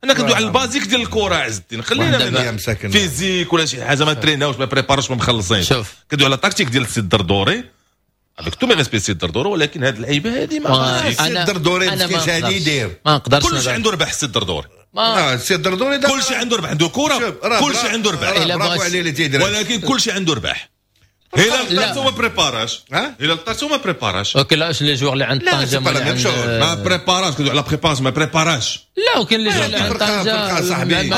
انا كندوي على ال basique ديال الكره عز الدين، خلينا من physique ولا شي حاجة، ما تريناوش، ما بريباروش، ما مخلصين. شوف كندوي على التكتيك ديال السيد الدردوري، avec tous mes respects السيد الدردوري، ولكن هاد اللعيبة هادي ما السيد الدردوري مسكين شحال يدير، ما نقدرش. كلشي عنده ربح السيد الدردوري، اه السيد الدردوري كلشي عنده ربح، عنده كره، كلشي عنده ربح، برافو عليه اللي تيدير، ولكن كلشي عنده ربح. هلال طارتو ما بريباراش، هلال طارتو ما بريباراش. OK لا les joueurs اللي عند طنجه ما بريباراش، كندوي على préparation ما بريباراش. لا وكاين les joueurs اللي عند طنجه صاحبي،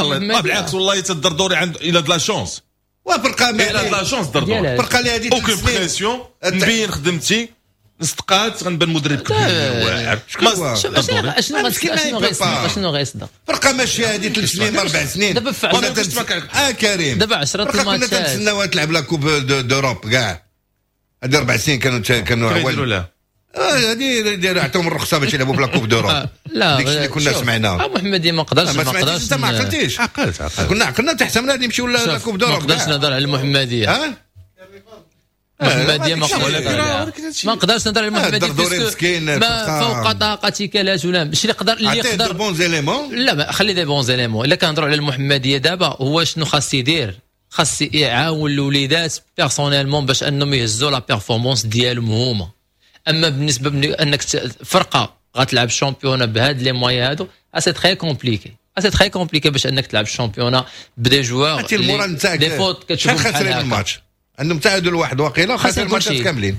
بالعكس والله الدردوري عنده il a de la chance، وفرقه il a de la chance الدردوري، فرقه اللي هذه aucune pression، نبين خدمتي نستقات غنبان مدرب كبير واعر. شنو شنو غيصدق؟ شنو غيصدق؟ فرقه ماشية هذه ثلاث سنين اربع سنين دابا اه كريم، دابا عشرة الماتشات كنا تنتسناو تلعب la coupe d'Europe كاع، هذه اربع سنين كانوا كانوا عوال لا هذه عطاهم الرخصة باش يلعبوا ب la coupe d'Europe. لا داكشي اللي كنا سمعناه. محمديه ما قدرش، ما قدرش. انت ما عقلتيش؟ عقلت عقلت، كنا عقلنا تحت من غادي نمشيو la coupe d'Europe. ما قدرش نهضر على المحمدية. المحمدية ما قدرش، ما نقدرش نهضر على المحمدية، ما فوق طاقتك لا تلام. ماشي اللي يقدر اللي يقدر bons éléments. لا خلي des bons éléments. الا كنهضروا على المحمدية دابا، هو شنو خاص يدير؟ خاص يعاون الوليدات personnellement باش انهم يهزوا la performance ديالهم هما. اما بالنسبة انك فرقه غتلعب championnat بهاد les moyens هادو، c'est très compliqué، c'est très compliqué باش انك تلعب ال championnat ب des joueurs des fautes كتشوف بحال هكا. الماتش عندهم تعادل واحد واقيلا، خاسرين الماتشات كاملين،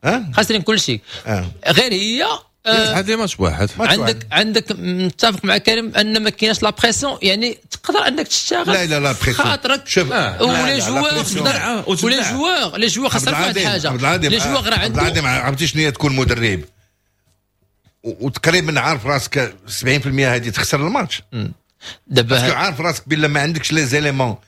ها خاسرين كل شيء. آه. غير هي هذه ماتش واحد. عندك عندك متفق مع كريم ان ما كايناش la pression، يعني تقدر انك تشتغل لا لا la pression خاطرك. و les joueurs و les joueurs les joueurs خاصك واحد الحاجة، les joueurs راه عندهم. عبد العظيم عرفتي شنو هي تكون مدرب وتقريبا عارف راسك سبعين بالمية هذه تخسر الماتش دابا، عارف راسك بلا ما عندكش les éléments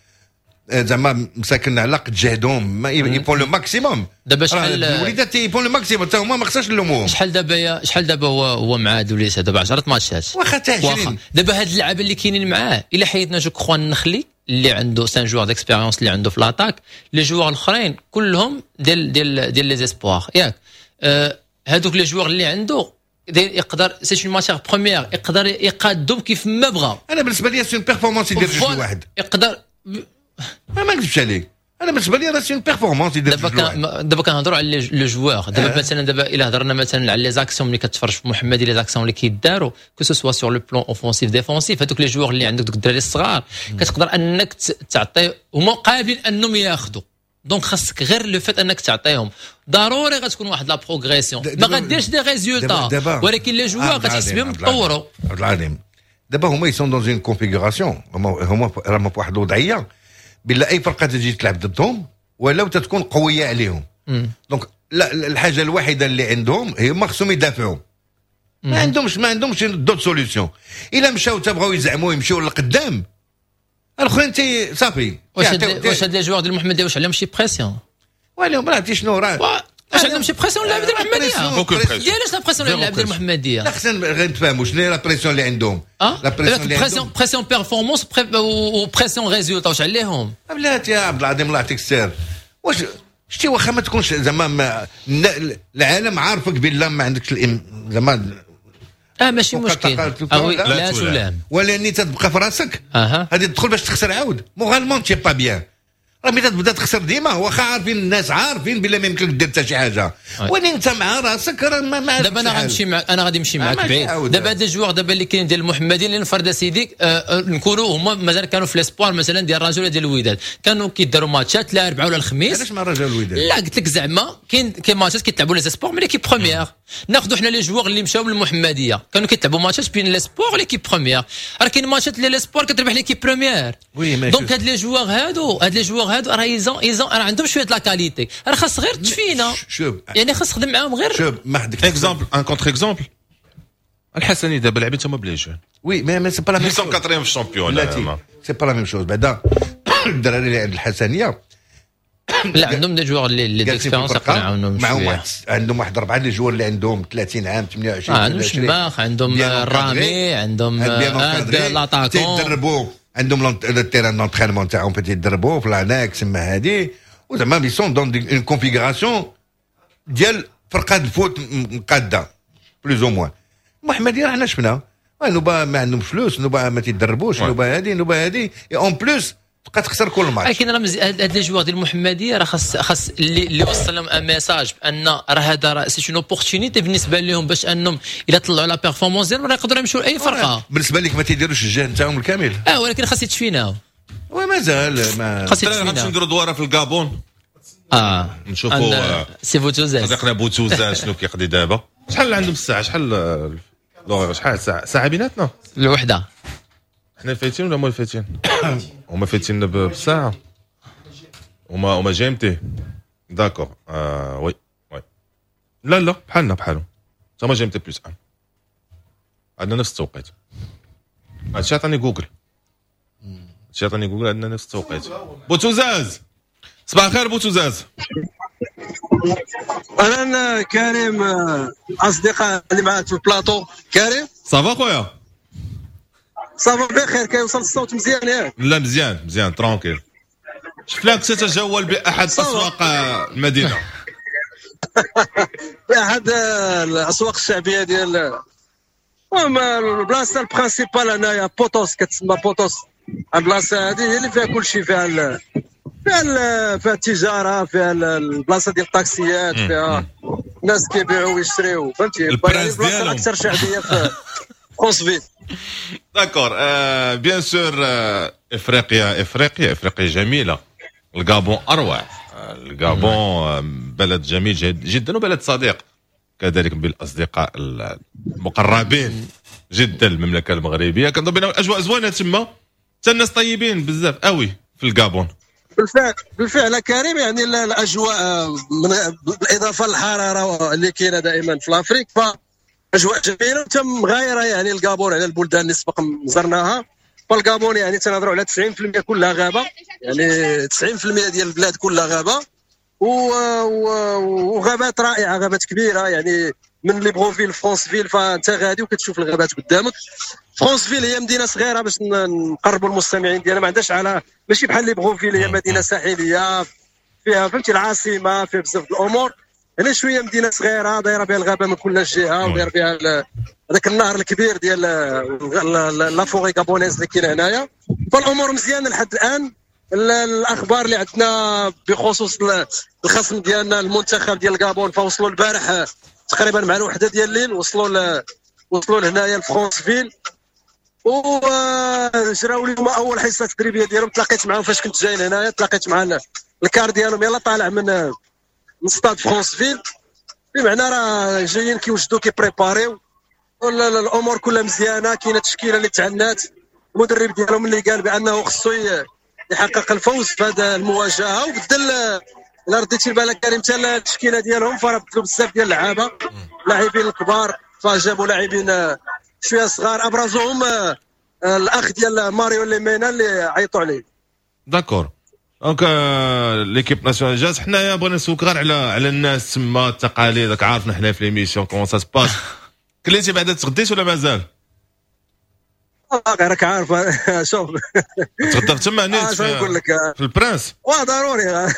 زعما مساكن على قد جهدهم، ما ils font le maximum. دابا شحال الوليدات ils font le maximum حتى هما ما خصهاش نلوموهم. شحال دابا شحال دابا هو هو مع هاد الوليدات دابا عشرة ماتشات واخا حتى عشرين. دابا هاد اللعابه اللي كاينين معاه، الا حيدنا je crois النخلي اللي عنده cinq joueurs d'expérience اللي عنده في l'attaque، les joueurs الاخرين كلهم ديال ديال ديال les espoirs ياك. آه هادوك les joueurs اللي عنده يقدر c'est une matière première، يقدر يقادهم كيف ما بغا. انا بالنسبة لي c'est une performance يدير جوج واحد يقدر، ما نكذبش عليك، انا بالنسبة لي راه c'est une performance يدير. دابا دابا كنهضروا على les joueurs دابا. آه. مثلا دابا الا هضرنا مثلا على les actions ملي كتفرج في محمدي، les actions اللي كيداروا que ce soit sur le plan offensif défensif، هذوك les joueurs اللي عندك دوك الدراري الصغار كتقدر انك تعطي، هما قابلين انهم ياخذوا، donc خاصك غير le fait انك تعطيهم، ضروري غتكون واحد la progression، ما غديرش des résultats ولكن les joueurs غتحس بهم تطوروا. عبد العظيم دابا هما ils sont dans une configuration، هما هما راهم في واحد الوضعية بلا اي فرقه تجي تلعب ضدهم ولو تتكون قوية عليهم. donc لا الحاجة الوحيدة اللي عندهم هي ما خصهم يدافعوا، ما عندهمش ما عندهمش d'autres solutions. الا مشاو تبغاو يزعموا يمشيو للقدام الاخرين تي صافي. واش واش هاد les joueurs ديال المحمدية واش عليهم شي pression؟ وعليهم راه عرفتي شنو راه واش عندهم شي pression اللاعب ديال المحمدية؟ ديالاش la pression اللاعب ديال المحمدية؟ لا خصنا غير نتفاهموا شنو هي la pression اللي عندهم. la pression اللي عندهم pression performance و pression résultat، واش عليهم؟ بلاتي يا عبد العظيم الله يعطيك السر، واش شتي واخا ما تكونش زعما العالم عارفك بلا ما عندكش زعما اه ماشي مشكل لا تلام، ولاني تتبقى في راسك غادي تدخل باش تخسر عاود moralement t'es pas bien. راه ملي تبدا تخسر ديما واخا عارفين الناس عارفين بلا ما يمكنلك دير حتى شي حاجة، ولكن انت مع راسك راه ما دابا انا غنمشي مع انا غادي نمشي معاك بعيد. دابا هاد les joueurs دابا اللي كاين ديال المحمديين اللي نفرض سيدي آه نكونوا هما مازال كانوا في les espoirs مثلا ديال الرجاء ولا ديال الوداد، كانوا كيداروا ماتشات لا الاربعاء ولا الخميس. علاش مع الرجاء والوداد؟ لا قلت لك زعما كاين كاين ماتشات كيتلعبوا les espoirs من l'équipe première. ناخذوا حنا les joueurs اللي مشاو من المحمدية كانوا كيتلعبوا ماتشات بين les espoirs l'équipe première، راه كاين ماتشات اللي les espoirs كتربح l'équipe première. donc هاد les joueurs هادو هاد les joueurs هادو راه ils ont ils ont راه عندهم شوية la qualité، راه خاص غير تفينا شوف يعني خاص تخدم معاهم غير شوف ما عندك exemple un contre-exemple الحسني دابا لاعبين تما ب les jeunes. oui mais mais c'est pas la même chose quatrième في ال championnat، c'est pas la même chose. بعدا الدراري اللي عند الحسنيه لا عندهم des joueurs اللي d'expérience يقدروا يعاونوهم معاهم، واحد عندهم واحد اربعة les joueurs اللي عندهم ثلاثين عام ثمانية وعشرين، عندهم شماخ، عندهم الرامي، عندهم l'attaquant، تيدربوا عندهم ال terrain d'entraînement تاعهم فين تيدربوا في l'annexe ما هادي، وزعما ils sont dans une configuration ديال فرقه ال foot مقاده plus ou moins. المحمدية راه حنا شفنا نوبا ما عندهم فلوس، نوبا ما تيدربوش، نوبا هادي نوبا هادي، en plus تبقى تخسر كل ماتش. لكن راه هاد les joueurs ديال المحمدية راه خاص خاص اللي اللي وصل لهم un message بان راه هذا راه c'est une opportunité بالنسبة لهم باش انهم الا طلعوا la performance ديالهم راه يقدروا يمشوا لاي فرقه. بالنسبة لك ما تيديروش الجهد نتاعهم الكامل. اه ولكن خاص يتفيناو. ومازال ما خاص غنمشيو يتفيناو. نديروا دواره في الكابون. اه نشوفوا سي بوتوزاز، صديقنا بوتوزاز شنو كيقضي دابا. شحال عندهم الساعة؟ شحال l'heure؟ شحال ساعة ساعة بيناتنا؟ الوحدة. حنا فايتين ولا هما فايتين؟ هما فايتين بساعة، هما هما GMT. d'accord، آه oui oui، لا لا بحالنا بحالهم، هما GMT plus un، عندنا نفس التوقيت. هادشي عطاني جوجل، هادشي عطاني جوجل، عندنا نفس التوقيت. بوتوزاز صباح الخير بوتوزاز. اهلا كريم، اصدقاء اللي معاك في البلاطو. كريم ça va خويا؟ ça va بخير. كيوصل الصوت مزيان ياك؟ لا مزيان مزيان tranquille. شفناك تتجول باحد اسواق المدينة. باحد الاسواق الشعبية ديال المهم البلاصة ال principale هنايا بوتوس، كتسمى بوتوس. البلاصة هذه هي اللي فيها كل شيء، فيها ال فيها ال فيها التجاره، فيها البلاصة ديال الطاكسيات، فيها الناس كيبيعوا ويشريو، فهمتي؟ البلاصة الاكثر شعبية في فرونسفيل. d'accord، bien sûr افريقيا افريقيا افريقيا جميله، الغابون اروع. الغابون بلد جميل جدا وبلد صديق كذلك بالاصدقاء المقربين جدا المملكة المغربية. كنظن بان الاجواء زوينة تما، حتى الناس طيبين بزاف قوي في الغابون. بالفعل بالفعل كريم، يعني الاجواء من بالاضافة للحرارة اللي كاينه دائما في l'Afrique، فاجواء جميلة وتم غايره يعني الغابون على البلدان اللي سبق زرناها. فالغابون يعني تنهضروا على تسعين بالمية كلها غابه، يعني تسعين بالمية ديال البلاد كلها غابه، وغابات رائعة، غابات كبيرة يعني من ليبروفيل فرونسفيل، فانت غادي وكتشوف الغابات قدامك. فرونسفيل هي مدينة صغيرة باش نقربوا المستمعين ديالنا، ما عندهاش على ماشي بحال ليبروفيل هي مدينة ساحليه فيها فهمتي العاصمة، فيها بزاف الامور. هنا شوية مدينة صغيرة دايرة بها الغابة من كل جهة، وداير بها هذاك النهر الكبير ديال la forêt gabonaise اللي كاين هنايا. فالامور مزيانه لحد الان. الاخبار اللي عندنا بخصوص الخصم ديالنا المنتخب ديال الغابون، فوصلوا البارح تقريبا مع الوحدة ديال الليل، وصلوا وصلوا لهنايا لفرونسفيل وجراو اليوم اول حصة تدريبية ديالهم. تلاقيت معاهم فاش كنت جاي لهنايا، تلاقيت مع ال car ديالهم يلا طالع من من ستاد فرونسفيل، بمعنى راه جايين كيوجدوا كي préparer يو الامور كلها مزيانه. كاينه تشكيله اللي تعنات، المدرب ديالهم اللي قال بانه خصو يحقق الفوز في هذه المواجهة، وبدل الا رديتي بالك كريم حتى التشكيلة ديالهم فراه بدلوا بزاف ديال اللعابه، لاعبين الكبار فجابوا لاعبين شوية صغار، ابرزهم الاخ ديال ماريو ليمينا اللي عيطوا عليه. d'accord، donc l'équipe nationale جات. حنايا بغينا نسولك غير على على الناس تما، التقاليد، راك عارفنا حنا في l'émission comment ça se passe. كليتي بعدا، تغديت ولا مازال؟ راك عارف شوف تغدى تما نيت في, في البرنس. واه ضروري.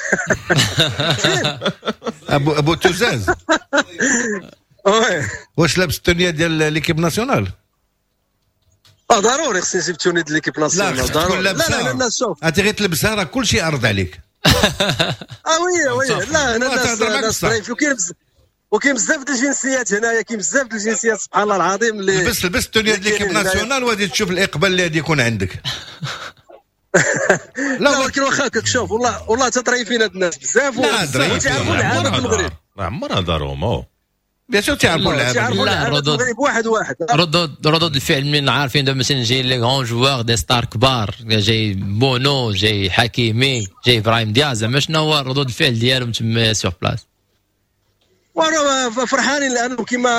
ابو ابو توزاز واش لابس ال tenue ديال l'équipe nationale؟ اه ضروري خصني نجيب tenue ديال l'équipe nationale. ضروري. لا لا لا شوف، انت غير تلبسها راه كلشي يعرض عليك. اه oui oui، لا هنا الناس الناس وكاين وكاين بزاف د الجنسيات هنايا، كاين بزاف د الجنسيات سبحان الله العظيم. اللي لبس لبس ال tenue ديال l'équipe nationale وغادي تشوف الاقبال اللي غادي يكون عندك. لا ولكن واخا هكاك شوف، والله والله تطريفين هاد الناس بزاف وتيعرفوا اللعابه في المغرب. عمرها دارهم bien sûr تيعرفوا اللعابه. لا ردود واحد واحد ردود ردود الفعل من عارفين دابا مثلا جاي les grands joueurs des stars كبار، جاي بونو، جاي حكيمي، جاي ابراهيم دياز، زعما شنو هو ردود الفعل ديالهم تما sur place؟ وانا فرحانين لانه كيما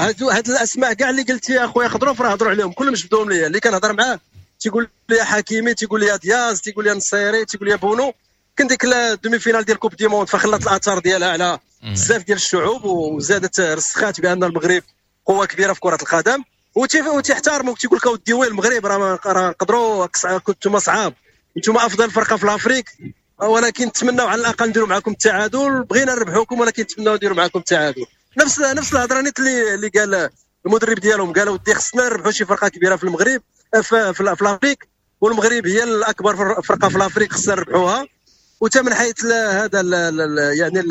هادو هاد الاسماء كاع اللي قلتي يا خويا خضروف راه هضروا عليهم كلهم، جبدوهم ليا. اللي كنهضر معاه تيقول لي حكيمي، تيقول لي دياز، تيقول لي نصيري، تيقول لي بونو. كان ديك ال demi-finale ديال coupe du monde فخلت الاثار ديالها على بزاف ديال الشعوب، وزادت رسخات بان المغرب قوة كبيرة في كره القدم، وتيحترموك تيقول لك اودي وين المغرب راه راه نقدروا، كنتم صعاب، انتم افضل فرقه في l'Afrique. ولكن نتمناو على الاقل نديروا معكم التعادل، بغينا نربحوكم ولكن نتمناو نديروا معكم التعادل. نفس نفس الهضرة نيت اللي اللي قال المدرب ديالهم، قالوا ودي خصنا نربحوا شي فرقه كبيرة في المغرب في, في, في l'Afrique، والمغرب هي الاكبر فرقه في l'Afrique خصنا نربحوها. وتا من حيث هذا ال يعني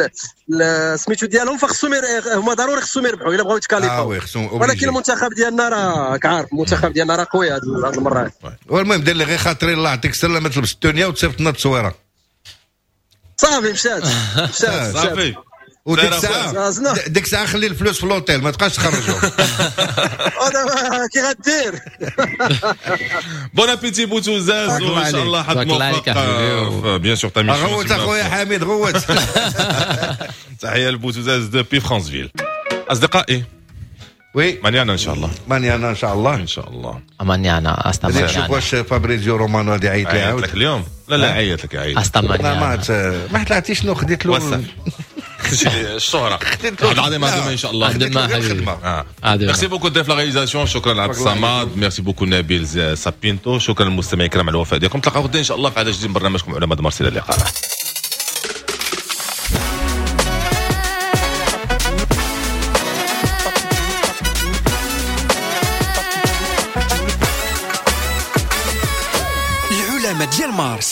سميتو ديالهم فخصهم هما ضروري خصهم يربحوا الا بغاو يتكاليفاو. آه ولكن المنتخب ديالنا راه كعارف المنتخب ديالنا راه قوي هذه المرة. والمهم دير لي غير خاطري الله يعطيك السلامة، تلبس التونيه وتصيفط لنا التصويره. صافي مشات مشات صافي. وديك الساعة ديك الساعة خلي الفلوس في l'hôtel ما تبقاش تخرجهم. انا كي غدير. bon appétit بوتوزاز وان شاء الله حد موفق bien sûr ta mission. غوت اخويا حميد غوت. تحية لبوتوزاز depuis فرانسفيل. اصدقائي oui mañana ان شاء الله. mañana ان شاء الله. ان شاء الله mañana hasta mañana. نشوف واش فابريزيو رومانو غادي يعيط لي عاود لك اليوم. لا لا عيط لك عيط. hasta mañana. ما ما طلعتيش شنو خديت له الشهرة العظيم هذا ان شاء الله. merci beaucoup ضيف la réalisation، شكرا عبد الصمد، merci beaucoup نبيل سابينتو، شكرا للمستمعين الكرام على الوفاء ديالكم. نتلاقاو غدا ان شاء الله في عدد جديد من برنامجكم علماء مارسيل. اللقاء. العلماء ديال مارس.